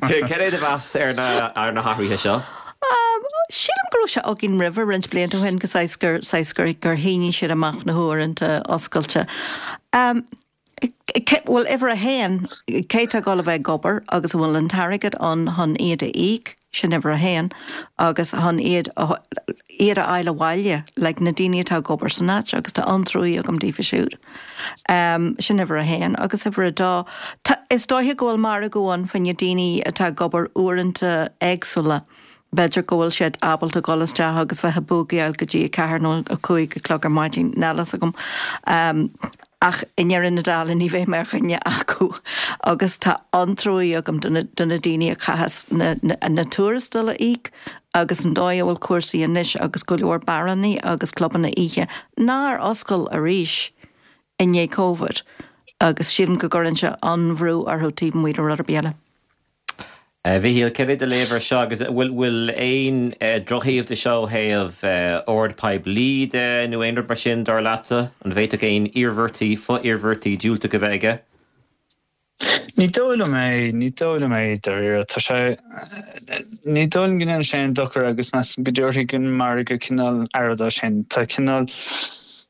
Cad é do mheas ar na ar na hathruithe seo? Sílim go. go raibh sé againn roimhe roinnt blianta ó shin go saghas gur saghas gur gur shínigh siad amach na huaireanta oscailte. Bhuel, uimhir a haon, cé tá ag dul a bheith ag obair agus an bhfuil an t-airgead ann chun iad a íoc, sin uimhir a haon, agus chun iad a, iad a fháil abhaile, like na daoine atá ag obair san áit agus tá an-truaí agam daofa siúd. Sin uimhir a haon. Agus uimhir a dó, tá, is dóiche go bhfuil margadh ann fá choinne daoine atá ag obair uaireanta éagsúla. B'fhéidir go bhfuil siad ábalta dul isteach agus bheith ag búgaíáil go dtí a ceathair nó a cúig a chlog ar maidin, níl a fhios agam. Ach i ndeireadh na dála ní bheidh mé ar dhuine acu agus tá an-truaí agam do na do na daoine a chaitheas na na tuarastail a íoc agus an dóigh a bhfuil cúrsaí anois agus go leor beárannaí agus clubanna oíche nár oscail arís i ndiaidh Covid agus sílim go gcuireann sé an-bhrú orthu taobh amuigh de rud ar bith eile. A Mhichíl, céard é do léamh ar seo agus an bhfuil bhfuil aon drochthaobh de seo ó thaobh ord poiblí de nó aon rud mar sin, dar leatsa? An bhféadfadh aon iarmhairtí, fo-iarmhairtí diúltacha a bheith aige? Ní dóigh liom é, ní dóigh liom é dáiríre. Tá sé, ní dóigh liom go ndéanfaidh sé aon dochar agus measaim go dtabharfaidh an margadh cineál aire dó sin. Tá cineál.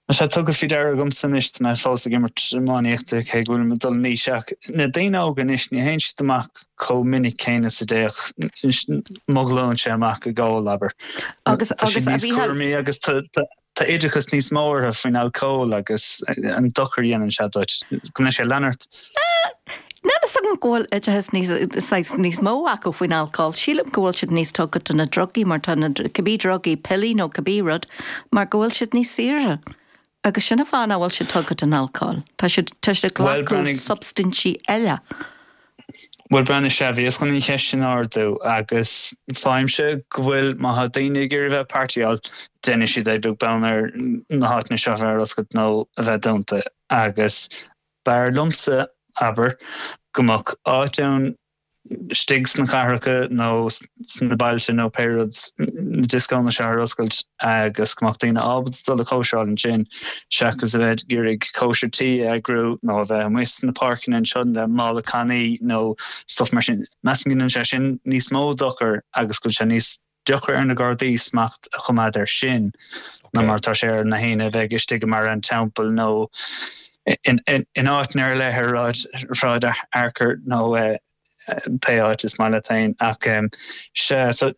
Tá sé tugtha faoi deara agamsa anois, tá mé fós ag imirt iománaíochta cé go bhfuilim ag dul in aois, ach na daoine óga anois, ní théann siad amach chomh minic céanna is a dtéadh mo ghlúinse amach ag ól, abair. Agus, Tá siad agus a níos Mhícheáil. cúramaí agus tá, tá, tá oideachas níos mó orthu faoin alcól agus an dochar a dhéanann sé duit. Go mbeidh sé ag leanacht. Níl a fhios agam go bhfuil oideachas níos, saghas, níos mó acu faoin alcól. Sílim go bhfuil siad níos tugtha do na drugaí mar tá na, cibé drugaí, piollaí nó cibé rud, mar go bhfuil siad níos saoire. Agus sin an fáth nach bhfuil siad tugtha don alcól. Tá siad, tá siad ag Bhuel, glacadh breathnaigh. substaintí eile. Bhuel, breathnaigh, sea, bhíos chun an cheist sin a ardú agus faighimse go bhfuil, má tá daoine ag iarraidh bheith ag partyáil, déanfaidh siad é beag beann ar na háiteanna seo a bheith ar oscailt nó a bheith dúnta agus B'fhearr liomsa, abair, go mbeadh áit ann istigh sna cathracha nó sna bailte nó pé rud, na dioscónna seo ar oscailt agus go mbeadh daoine ábalta dul a chóisireáil ansin seachas a bheith ag iarraidh cóisir tí a eagrú nó a bheith amuigh sna páirceanna anseo le mála cannaí nó stuff mar sin. Measaim go ndéanann sé sin níos mó dochair agus go bhfuil sé níos deacra ar na Gardaí smacht a choimeád air sin ná mar atá sé ar na héinne a bheidh istigh i mBarra an Teampaill nó in áiteanna ar leith ar Shráid Fhearchair nó pé áit is maith leat féin. Ach sea, so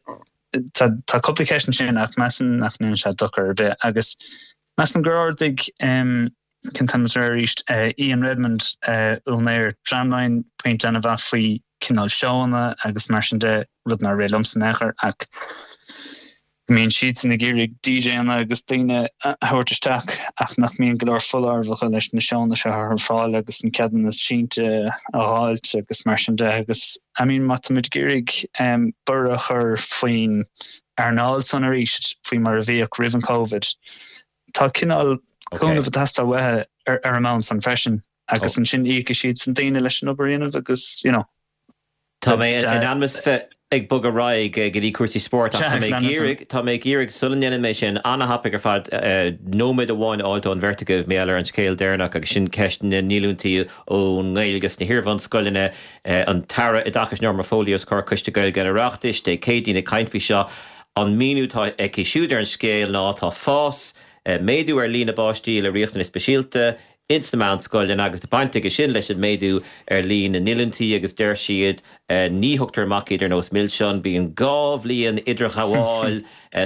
tá cúpla ceist ansin ach measaim nach ndéanann sé dochar ar bith. Agus measaim gur ardaigh Cén t-ainm atá air arís? Ian Redmond, úinéir Tramline, pointe an-mhaith faoi cineál seóanna agus mar sin de, rud nár rith liomsa in aon chor ach go mbíonn siadsan ag iarraidh DJanna agus daoine a thabhairt isteach ach nach mbíonn go leor foláireamh acu leis na seónna seo a chur ar fáil agus an ceadúnas seinnte a dh'fháilt agus mar sin de agus I mean má tá muid ag iarraidh borradh a chur faoin earnáil san arís faoi mar a bhíodh roimh an Covid Tá cineál cúnamh ag teastáil uathu ar an mbonn san freisin agus ansin íocfaidh siadsan daoine leis an obair a dhéanamh agus you know. Tá mé in ainm is bheith ag bogadh ar aghaidh go dtí cúrsaí spóirt ach tá mé ag iarraidh, tá mé ag iarraidh, sula ndéanann mé sin, an-thapaidh ar fad, nóiméad amháin a fháilt ón bheirt agaibh mar gheall ar an scéal deireanach agus sin ceist na ndíolúintí ón nGaeilge sna hiarbhunscoileanna. An tAire Oideachais Norma Foley os comhair Coiste Gaeilge an Oireachtais Dé Céadaoin ag caint faoi seo. An míniú atá aici siúd ar an scéal ná tá fás, méadú ar líon na bpáistí le riachtanais speisialta ins na meánscoileanna agus tá baint aige sin leis an méadú ar líon na ndíolúintí agus deir siad ní thugtar amach iad ar nós milseán, bíonn 2 bhliain idirghabháil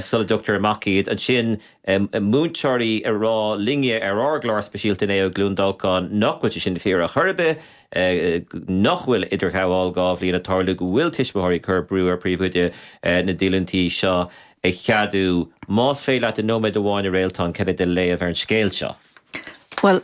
sula dtugtar amach iad. Ansin múinteoirí ag rá linne ar ár gclár speisialta inné ó Chluain Dolcáin nach bhfuil sé sin fíor ar chor ar bith. nach bhfuil idirghabháil 2 bhliain ag tarlú, go bhfuil tuismitheoirí ag cur brú ar phríomhoide na díolúintí seo a cheadú. Más féidir leat i nóiméad amháin a Réaltán, cad é do léamh ar an scéal seo? Bhuel,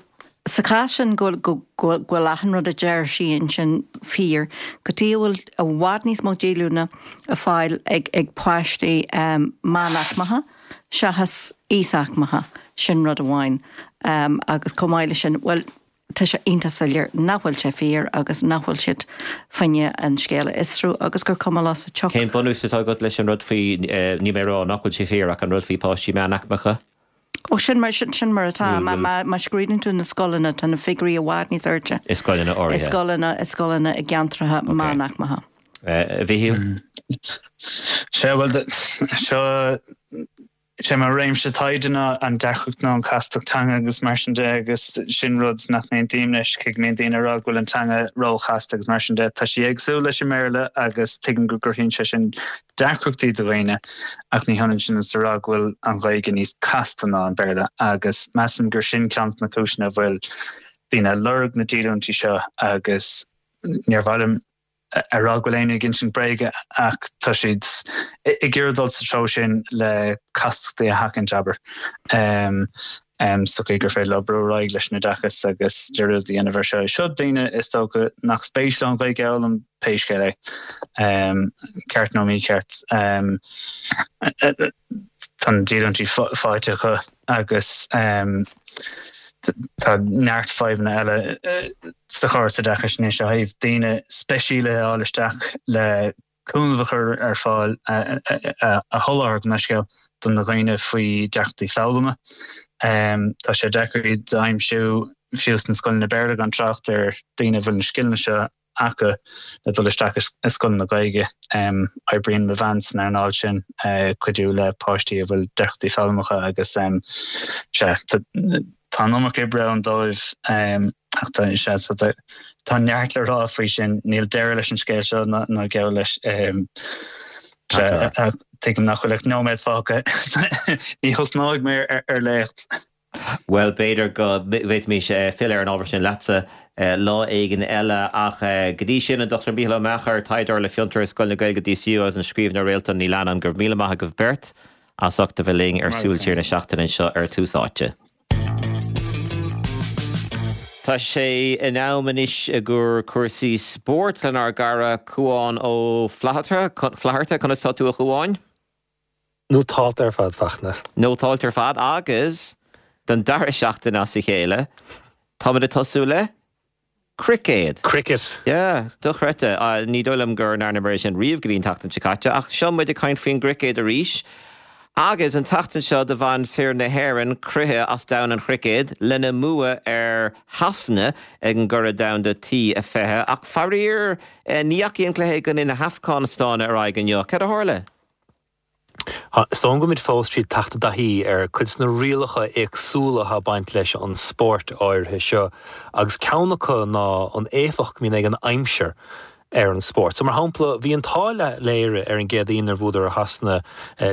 sa chás sin go bhfuil achan rud a deir sí ansin fíor, cad chuige a bhfuil i bhfad níos mó díolúine á fáil ag páistí meánaicmeacha seachas íosaicmeacha, sin rud amháin. Agus chomh maith leis sin, bhuel, Tá sé iontach soiléir nach bhfuil sé fíor agus nach bhfuil siad fá choinne an scéal a fhiosrú agus gur cuma leo sa tsioc. Cén bunús atá agat leis an rud faoi, níl mé ag rá nach bhfuil sé fíor, ach an rud faoi páistí meánaicmeacha? Ó, sin mar, sin mar atá. Má, má, má scrúdaíonn tú na scoileanna, tá na figiúirí i bhfad níos airde. I scoileanna áirithe. I scoileanna, i scoileanna i gceantracha meánaicmeacha. A Mhichíl? Sea, bhuel, seo, sé mo réimse taighde ná an deacracht nó an chastacht teanga agus mar sin de agus sin rud nach n-aontaím leis, cé go mbíonn daoine ag rá go bhfuil an teanga róchasta agus mar sin de. Tá sí éagsúil leis an mBéarla agus tuigim go gcruthaíonn sé sin deacrachtaí do dhaoine ach ní hionann sin is a rá go bhfuil an Ghaeilge níos casta ná an Béarla agus measaim gur sin ceann de na cúiseanna a bhfuil daoine ag lorg na díolúintí seo agus níor mhaith liom a rá go bhfuil éinne ag insint bréige ach tá siad ag iarraidh dul sa treo sin le castachtaí a sheachaint, abair, sa chaoi gur féidir leo brú ar aghaidh leis an oideachas agus dearúd a dhéanamh ar seo. Seo daoine, is dócha, nach spéis leo an Ghaeilge a fhoghlaim, pé scéal é, ceart nó mícheart. Tá na díolúintí faighte acu agus tá neart fadhbanna eile sa chóras oideachais anois ó thaobh daoine speisialaithe a fháil isteach le cúnamh a chur ar fáil, a sholáthar gabh mo leithscéal, do na dhaoine faoi deacrachtaí foghlama. Tá sé deacair iad a aimsiú fiú sna scoileanna Béarla gan trácht ar daoine a bhfuil na scileanna seo acu le dul isteach i scoileanna Gaeilge. Oibríonn mo bhean san earnáil sin, cuidiú le páistí a bhfuil deacrachtaí foghlama acu agus sea, tá an iomarca oibre ann dóibh ach tá, sea, so tá neart le rá faoi sin. Níl deireadh leis an scéal seo ná geall leis. Sea, tuigim nach bhfuil ach nóiméad fágtha. Ní thosnóidh mé ar léacht. Bhuel, b'fhéidir go bhféadfaimis filleadh ar an ábhar sin leatsa lá éigin eile, ach go dtí sin, an Dr Mícheál Ó Meachair, taighdeoir le Fiontar i Scoil na Gaeilge DCU agus an scríbhneoir Réaltán Ní Leannáin, go raibh míle maith agaibh beirt as ucht a bheith linn ar Súil Siar na Seachtaine anseo ar Tús Áite. Tá sé in am anois i gcomhair cúrsaí spóirt lenár gcara Cúán Ó Flatharta. Conas tá tú a Chúáin? Nótálta ar fad, Fachtna. Nótálta ar fad agus don dara seachtain as a chéile, táimid ag tosú le cruicéad. Cricket. Yeah, dochreidte. Ní dóigh liom go ndearnamar é sin riamh go dtí an tseachtain seo caite, ach seo muid ag caint faoin gcruicéad arís. Agus an tseachtain seo do bhain fir na hÉireann croitheadh as domhan an chruicéid lena mbua ar Shasana ag an gCuradh Domhanda T20. Ach faraor, ní dheachaigh an cluiche i gcoinne na hAfganastáine ar aghaidh inniu. Cad a tharla? Is dóigh liom go bhfuilimid fós tríd teacht i dtaithí ar cuid de na rialacha éagsúla atá ag baint leis an spórt áirithe seo agus ceann acu ná an éifeacht go mbíonn ag an aimsir ar an spórt. So mar shampla, bhí an t-ádh le Éire ar an gCéadaoin nuair a bhuadar ar Shasana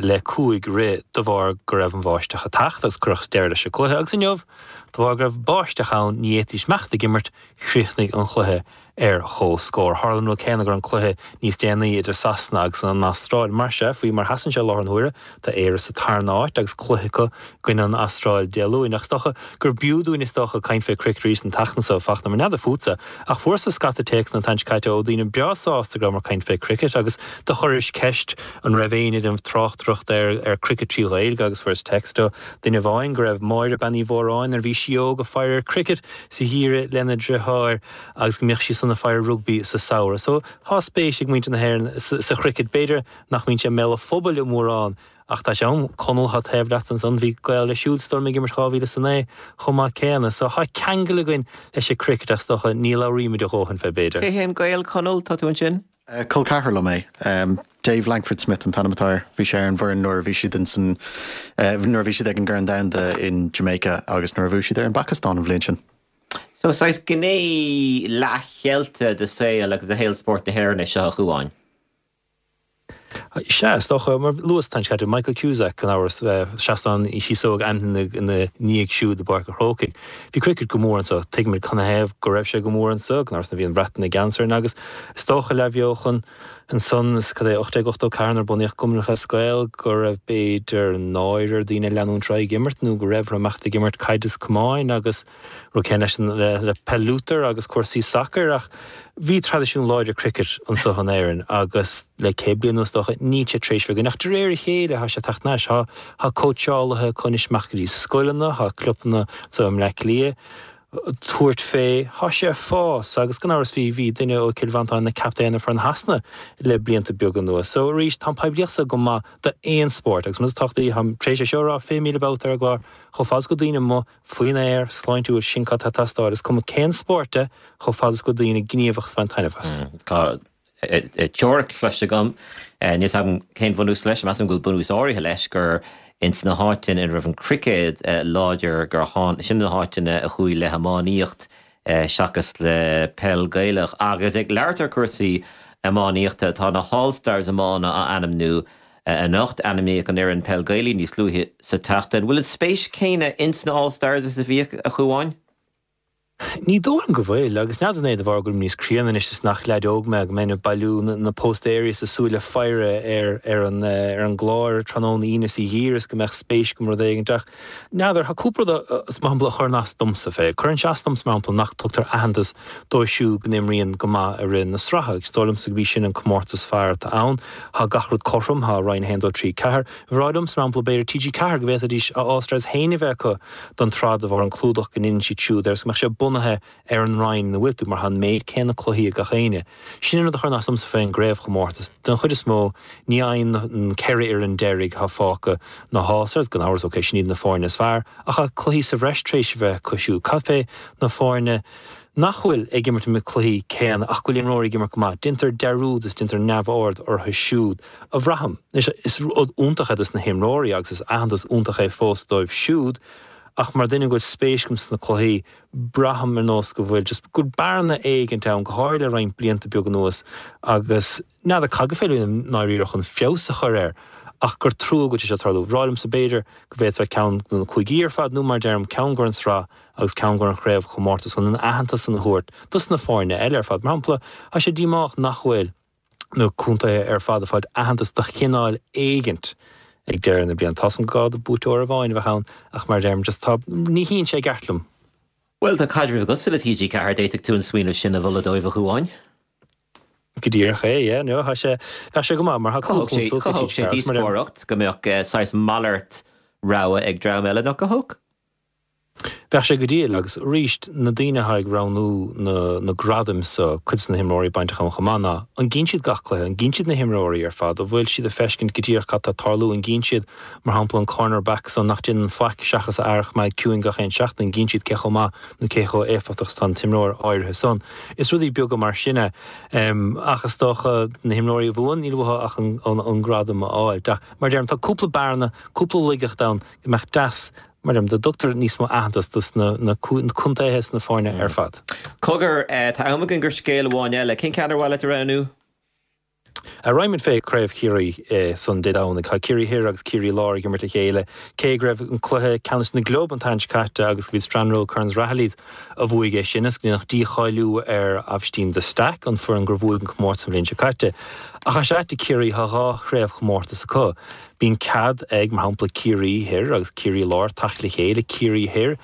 le cúig rith de bharr go raibh an bháisteach ag teacht agus cuireadh deireadh leis an gcluiche agus inniu de bharr go raibh báisteach ann ní fhéadfaidís imeacht ag imirt, chríochnaigh an cluiche ar chomhscór. Tharla an rud céanna ag an cluiche níos déanaí idir Sasana agus an Astráil. Mar sea, faoi mar sheasann sé i láthair na huaire, tá Éire sa tarna áit agus cluiche acu i gcoinne an Astráil Dé Luain. Ach is dócha gur b'fhiú dúinn is dócha caint fé cricket arís an tseachtain seo, Fachtna, mar n'fheadar fútsa, ach fuaireas-sa scata téacsanna an tseachtain seo caite ó daoine breá sásta go rabhamar ag caint fé cricket agus do chuiris ceist an raibh éinne ag déanamh tráchtaireacht ar ar cricket trí Ghaeilge agus fuaireas text ó duine amháin go raibh Máire Bean Uí Mhóráin nuair a bhí sí óg ag faire ar cricket sa gheimhreadh lena driotháir agus go mbíodh sí san ag faire rugbaí sa samhradh. So tá spéis ag muintir na hÉireann sa chricket. B'fhéidir nach mbíonn sé i mbéal an phobail mórán ach tá sé ann. Conall atá taobh leat ansan, bhí gaol leis siúd is dóigh liom ag imirt 2009 chomh maith céanna. So tá ceangal againn leis an cricket ach is dócha ní labhraímid a dhóthain fé b'fhéidir. Cé hé an gaol, Conall? Tá tú ansin? Col ceathrar liom é. Dave Langford Smith an t-ainm atá air. Bhí sé ar an bhfoireann nuair a bhí siad insan, nuair a bhí siad ag an gCorn Domhanda in Jamaica agus nuair a bhuaigh siad ar an bPacastáin an bhliain sin. So, saghas gné leathcheilte de saol agus de shaol spóirt na hÉireann é seo, a Chúáin. Sea, is dócha, mar luas an tseachtain seo caite, Michael Cusack, gan amhras, seastán Chíosóg ainmnithe ina ndiaidh siúd i bPáirc an Chrócaigh. Bhí cricket go mór anso, tuigimid canathaobh go raibh sé go mór anso, gan amhras nuair a bhí an Bhreatain i gceannas orainn agus is dócha leathbheochan ansan, cad é, 1884 nuair a bunaíodh Cumann Lúthchleas Gael, go raibh b'fhéidir náire ar daoine leanúint ar aghaidh ag imirt nó go raibh orthu imeacht ag imirt caide is camáin agus Rud céanna leis an le peil Luther agus cúrsaí sacair ach bhí traidisiún láidir cricket anso in Éirinn agus le 100 bliain anuas is dócha níl sé tar éis bheith againn ach de réir a chéile tá sé ag teacht anois. Tá tá cóitseálaithe acu anois amach go dtí scoileanna, tá clubanna anso i mBleá Cliath ag tabhairt fé, tá sé ag fás agus gan amhras bhí bhí duine ó Chill Mhantáin ina captaen ar foireann Shasana le blianta beaga anuas. So arís tá an poiblíocht so go maith d'aon spórt agus an rud is tábhachtaí táim tar éis é seo a rá 20,000 babhta ar an gclár chomh fada is go bhfuil daoine amuigh Faoin aer, sláintiúil, sin cad tá ag teastáil. Is cuma cén spórt é, chomh fada is go bhfuil daoine gníomhach is baint taitneamh as. Tá. Teoiric cloiste agam, níl 's agam cén bhunús leis, measaim go bhfuil bunús áirithe leis, gur ins na háiteanna ina raibh an cruicéad láidir gur tháin, sin na háiteanna a chuaigh le hiománaíocht seachas le peil Gaelach. Agus ag labhairt ar cúrsaí iománaíochta, tá na hAll Stars iomána á ainmniú anocht. Ainmníodh an fhoireann peil Gaelaí níos luaithe sa tseachtain. Bhfuil an spéis céanna ins na All Stars is a bhíodh, a Chuáin? Ní dóigh liom go bhfuil, agus n'fheadar an é de bharr go bhfuilim níos críonna anois is nach leaid óg mé, go mbeinn ag bailiú na póstaeirí is ag súil le faire ar ar an ar an gclár tráthnóna Aoine is a dh'iarras go mbeadh spéis agam i rud éigin ach n'fheadar, tá cúpla rud is mar shampla a chuireann as domsa fé. Cuireann sé as domsa mar shampla nach dtugtar aitheantas dóibh siúd go n-imríonn go maith i rith na sraithe agus is dóigh liomsa gurb í sin an comórtas is fearr atá ann. Tá gach rud cothrom, tá Roinn 1, 2, 3, 4. Bhreá liomsa mar shampla b'fhéidir TG4 go bhféadfaidís a All Stars féin a bheith acu don tsraith de bharr an clúdach go ndéanann siad siúd air is go mbeadh sé bunaithe ar an roinn ina bhfuil tú mar tá an méid céanna cluichí ag gach éinne. Sin an rud a chuireann as domsa fén gcraobhchomórtas. Den chuid is mó ní fhaigheann na 4 fhoireann deiridh atá fágtha na hAll Stars, gan amhras, ok, sin iad na foirne is fearr, ach tá cluichí sa bhreis tar éis a bheith acu siúd. Cad fé na foirne nach bhfuil ag imirt na cluichí céanna ach go bhfuil imreoirí ag imirt go maith? Déantar dearúd is déantar neamhaird orthu siúd. a bhraithim. Anois, is rud iontach é dos na himreoirí agus is aitheantas iontach é fós dóibh siúd ach mar duine go bhfuil spéis agam sna cluichí, braithim ar nós go bhfuil just, go bhfuil bearna éigint ann, go háirithe le roinnt blianta beag anuas agus n'fheadar cad gur féidir i ndáiríre chun feabhas a chur air ach gur trua go bhfuil sé seo ag tarlú. Bhreá liomsa b'fhéidir go bhféadfá ceann do na cúigí ar fad nó mar a deirim, ceann don tsraith agus ceann don chraobhchomórtas chun an aitheantas san a thabhairt dos na foirne eile ar fad. Mar shampla, tá sé díomách nach bhfuil. na contaetha ar fad ag fáilt aitheantas de chineál éigint ag deireadh na bliana. Tá's agam gur gá do buaiteoir amháin a bheith ann ach mar a deirim just tá, ní shuíonn sé i gceart liom. Bhuel, tá caidreamh agatsa le TG4, d'fhéadfadh tú an smaoineamh sin a mholadh dóibh, a Chuáin. Go díreach é, yeah, no, tá sé, bheadh sé go maith mar tá cúpla punt suas ag TG4 agus mar a deirim. Chothódh sé díospóireacht go mbeadh saghas malairt rogha ag dream eile, nach gcothódh? Bheadh sé go diail agus arís, na daoine atá ag roghnú na na gradaim so, cuid de na himreoirí bainteach ann chomh maith, ná an gcíonn siad gach cluiche, an gcíonn siad na himreoirí ar fad, an bhfuil siad ag feiscint go díreach cad tá ag tarlú, an gcíonn siad, mar shampla, an corner back so nach déanann faic seachas a fhear a choimeád ciúin gach aon seachtain, an gcíonn siad cé chomh maith nó cé chomh éifeachtach is atá an t-imreoir áirithe san. Is rudaí beaga mar sin é. Ach is dócha, na himreoirí a bhuann, níl uathu ach an an gradam a fháil. Ach mar a deirim, tá cúpla bearna, cúpla laigeacht ann go mbeadh deas Mar a deirim, dá dtugtar níos mó aitheantas dos na contaetha is na foirne ar fad. Cogar, tá am againn do scéal amháin eile. Cén ceann ar mhaith leat a roghnú? Raghaimid fé Craobh Chiarraí san Dé Domhnaigh. Tá Ciarraí Thoir agus Ciarraí Láir ag imirt le chéile. Cé go raibh an cluiche ceannais na gclub an tseachtain seo caite agus go bhí Strand Road Kerins Rahillys a bhuaigh é sin is go ndéanadh dícháiliú ar Aibhistín de Staic, an foireann gur bhuaigh an comórtas an bhliain seo caite. Ach tá sé ait i Ciarraí, tá 2 chraobhchomórtas acu. Bíonn cead ag, mar shampla, Ciarraí Thoir agus Ciarraí Láir teacht le chéile, Ciarraí Thoir,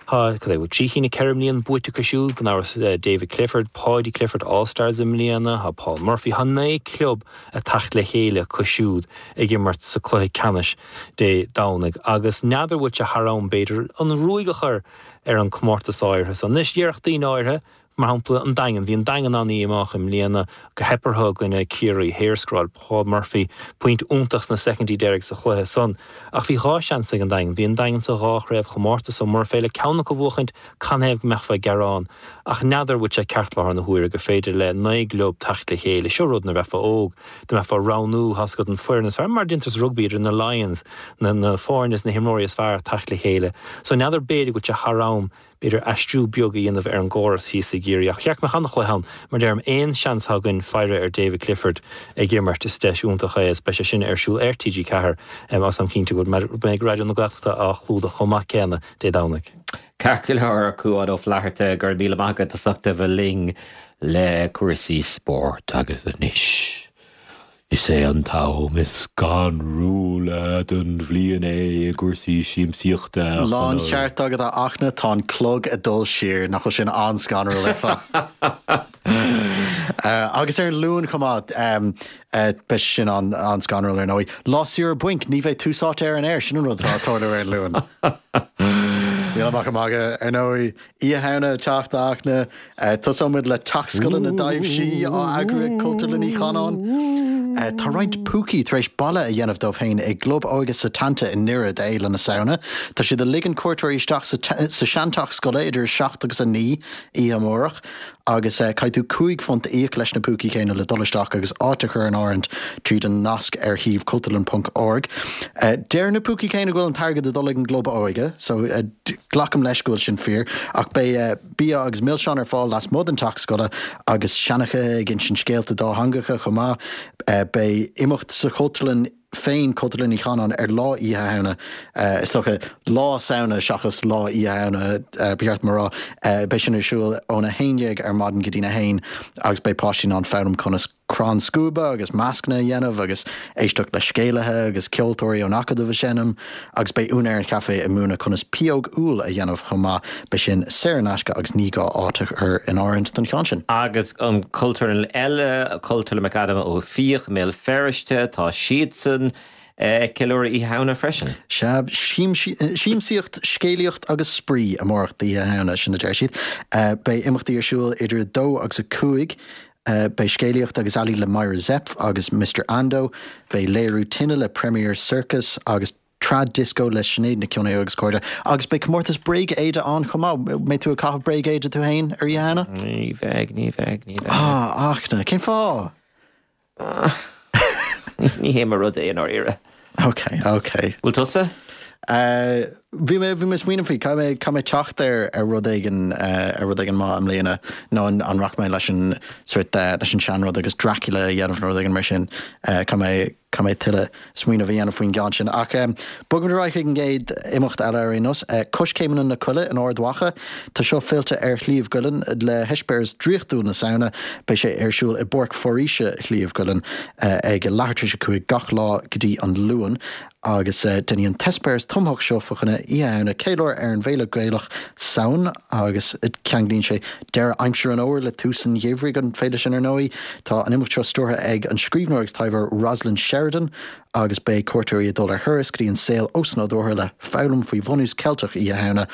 tá, cad é, bhfuil trí cinn nó 4 mbliana buaite acu siúd, gan amhras, David Clifford, Paudie Clifford, All Stars i mbliana, tá Paul Murphy, tá 9 club ag teacht le chéile acu siúd ag imirt sa cluiche ceannais Dé Domhnaigh agus n'fheadar bhfuil sé thar am, b'fhéidir, an ruaig a chur ar an comórtas áirithe so. Anois, déarfadh daoine áirithe, Mar shampla, an Daingean. Bhí an Daingean an-dhíomách i mbliana gur theip orthu i gcoinne Ciarraí Thoir. Scóráil Paul Murphy pointe iontach sna soicindí deiridh sa chluiche san. Ach bhí 2 seans ag an Daingean. Bhí an Daingean sa dhá chraobhchomórtas so murar féidir ceann acu a bhuachaint, canathaobh go mbeifeá ag gearán? Ach n'fheadar bhfuil sé ceart láthair na huaire gur féidir le 9 gclub teacht le chéile. Seo rud nuair bheifeá óg, dá mbeifeá ag roghnú, tá's agat, an foireann is fearr, mar a déantar sa rugbaí idir na Lions, na foirne is na himreoirí is fearr teacht le chéile. So n'fheadar b'fhéidir go bhfuil sé thar am b'fhéidir aistriú beag a dhéanamh ar an gcóras thíos i gCiarraí. Ach cheart go mbeadh an-chluiche ann. Mar deirim, aon seans atá againn faire ar David Clifford ag imirt, is deis iontach é agus beidh sé sin ar siúl ar TG4 agus táim cinnte go mbeidh Raidió na Gaeltachta á chlúdach chomh maith céanna Dé Domhnaigh. Ceart go leor, a Chuáin Ó Flatharta, go raibh míle maith agat as ucht a bheith linn le cúrsaí spóirt agus anois. Is é an t-am is scanrúla den bhliain é i gcúrsaí siamsaíochta, a Chonaill. Láncheart agat, a Fhachtna, tá an clog ag dul siar, nach bhfuil sin an-scanrúil ar fad? Agus ar an Luan chomh maith, beidh sé sin an-scanrúil ar ndóigh. Lá saoire bainc, ní bheidh Tús Áite ar an aer, sin an rud atá ag tarlú ar an Luan. Níl mé ach ag magadh, ar ndóigh. Oíche Shamhna ag teacht, a Fhachtna. Tosóidh muid le Teach Scoile na dTaibhsí á eagrú ag Cultúrlann Uí Chanáin. Tá roinnt púcaí tar éis baile a dhéanamh dóibh féin i gClub Óige Setanta i nDoire d'Fhéile na Samhna. Tá siad ag ligean cuairteoirí isteach sa seanteach scoile idir 7 agus 9 oíche amárach. Agus caithfidh tú £5 a íoc leis na púcaí céanna le dul isteach agus áit a chur in áirithint tríd an nasc ar shuíomh cultúrlann ponc org. Deir na púcaí céanna go bhfuil an t-airgead ag dul ag an gclub óige, so glacaim leis go bhfuil sin fíor, ach beidh bia agus milseáin ar fáil lasmuigh den teach scoile agus seanchaithe ag insint scéalta dátheangacha chomh maith. Beidh imeacht sa Chultúrlann féin, Cultúrlann Uí Chanáin, ar lá Oíche Shamhna, is dócha Lá Samhna seachas Lá Oíche Shamhna, ba cheart dom a rá. Beidh sin ar siúl óna 11 ar maidin go dtína 1 agus beidh páistí in ann foghlaim conas crann scuaibe agus mascanna a dhéanamh agus éisteacht le scéalaithe agus ceoltóirí ón Acadamh ag seinm agus beidh úinéir an chaifé ag múineadh conas pióg úll a dhéanamh chomh maith. Beidh sin saor in aisce agus ní gá áit a chur in áirithint don cheann sin. Agus an Cultúrlann eile, Cultúrlann McAdam Ó Fiaich i mBéal Feirste, tá siadsan ag ceiliúradh Oíche Shamhna freisin. Sea, siamsaíocht, scéalaíocht agus spraoi amárach d'Oíche Shamhna, sin a deir siad. Beidh imeachtaí ar siúl idir 2 agus 5. Beidh scéalaíocht agus ealaín le Myra Zepf agus Mister Ando. Beidh léiriú tine le Premier Circus agus Trad Disco le Sinéad Nic Cionnaith agus cairde. Agus beidh comórtas bréag-éide ann chomh maith. Mbeidh tú ag caitheamh bréag-éide tú féin ar Oíche Shamhna? Ní bheidh, ní bheidh, ní bheidh. Ah, Fhachtna, cén fáth? Ní hé mo rud é i ndáiríre. Ok, ok. Bhfuil tusa? Bhí mé, bhí mé ag smaoineamh faoi, caithfidh mé, caithfidh mé teacht ar, ar rud éigin, ar rud éigin maith i mbliana, nó an, an rachaidh mé leis an sort, leis an seanrud agus Dracula a dhéanamh nó rud éigin mar sin. Caithfidh mé, caithfidh mé tuilleadh smaoineamh a dhéanamh faoin gceann sin. Ach bogfaimid ar aghaidh chuig an gcéad imeacht eile ar aon nós, Coiscéimeanna na Coille in Ard Mhacha. Tá seo fillte ar Shliabh gCuillinn le heispéireas draíochtúil na Samhna. Beidh sé ar siúl i bPáirc Foraoise Shliabh gCuillinn ag leathuair tar éis a 5 gach lá go dtí an Luan. Agus déanfaidh an t-eispéireas tumthach seo fá choinne Oíche Shamhna ceiliúradh ar an bhféile Gaelach Samhain agus ceanglaíonn sé deireadh aimsir an fhómhair le tús an gheimhridh, an féile sin ar ndóigh. Tá an imeacht seo stiúrtha ag an scríbhneoir agus taibheoir Rosalind Sheridan agus beidh cuairteoirí ag dul ar thuras go dtí an saol osnádúrtha le foghlaim faoi bhunús Ceilteach Oíche Shamhna.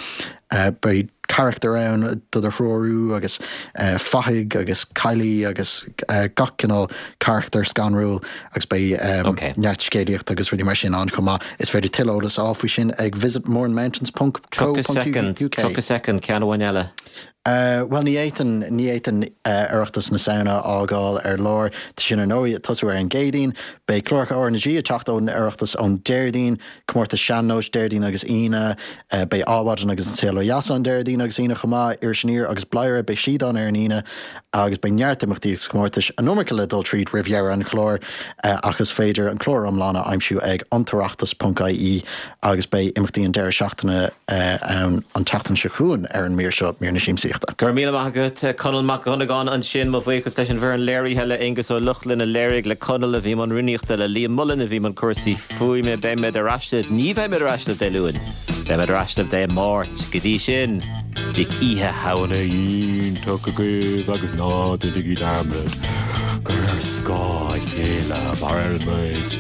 Beidh carachtair ann do do threorú agus fathaigh agus caillí agus gach cineál carachtar scanrúil agus beidh neart scéalaíochta agus rudaí mar sin ann chomh maith. Is féidir tuilleadh eolas a fháil faoi sin ag visitmournemountains ponc co 30 ponc soicind, uk. 30 soicind, ceann amháin eile. Bhuel, ní fhéadfainn, ní fhéadfainn Oireachtas na Samhna a fhágáil ar lár. Tá sin ar ndóigh ag tosú ar an gCéadaoin. Beidh cláracha RnaG ag teacht ón Oireachtas ón Déardaoin. Comórtas Sean-Nóis Déardaoin agus Aoine. Beidh Adhmhaidin agus An Saol Ó Dheas ann Déardaoin agus Aoine chomh maith. Iris Aniar agus Bladhaire, beidh siad ann ar an Aoine agus beidh neart imeachtaí agus comórtais, an iomarca le dul tríd roimh dheireadh an chláir ach is féidir an clár iomlán a aimsiú ag antoireachtas ponc ie agus beidh imeachtaí an deireadh seachtaine ann an tseachtain seo chugainn ar an mír seo, mír na siamsaíochta. Go raibh míle maith agat, Conall Mac Dhonnagáin ansin. Mo bhuíochas leis an bhfoireann léirithe, le Aonghus Ó Lochlainn a léirigh, le Conall a bhí i mbun rúnaíochta, le Liam Mullen a bhí i mbun cúrsaí fuaime. Beimid ar ais libh, ní bheimid ar ais libh Dé Luain, beimid ar ais libh Dé Máirt. Go dtí sin, bíodh Oíche Shamhna iontach agaibh agus ná déanaigí dearmad gur ar scáth a chéile a mhaireann muid.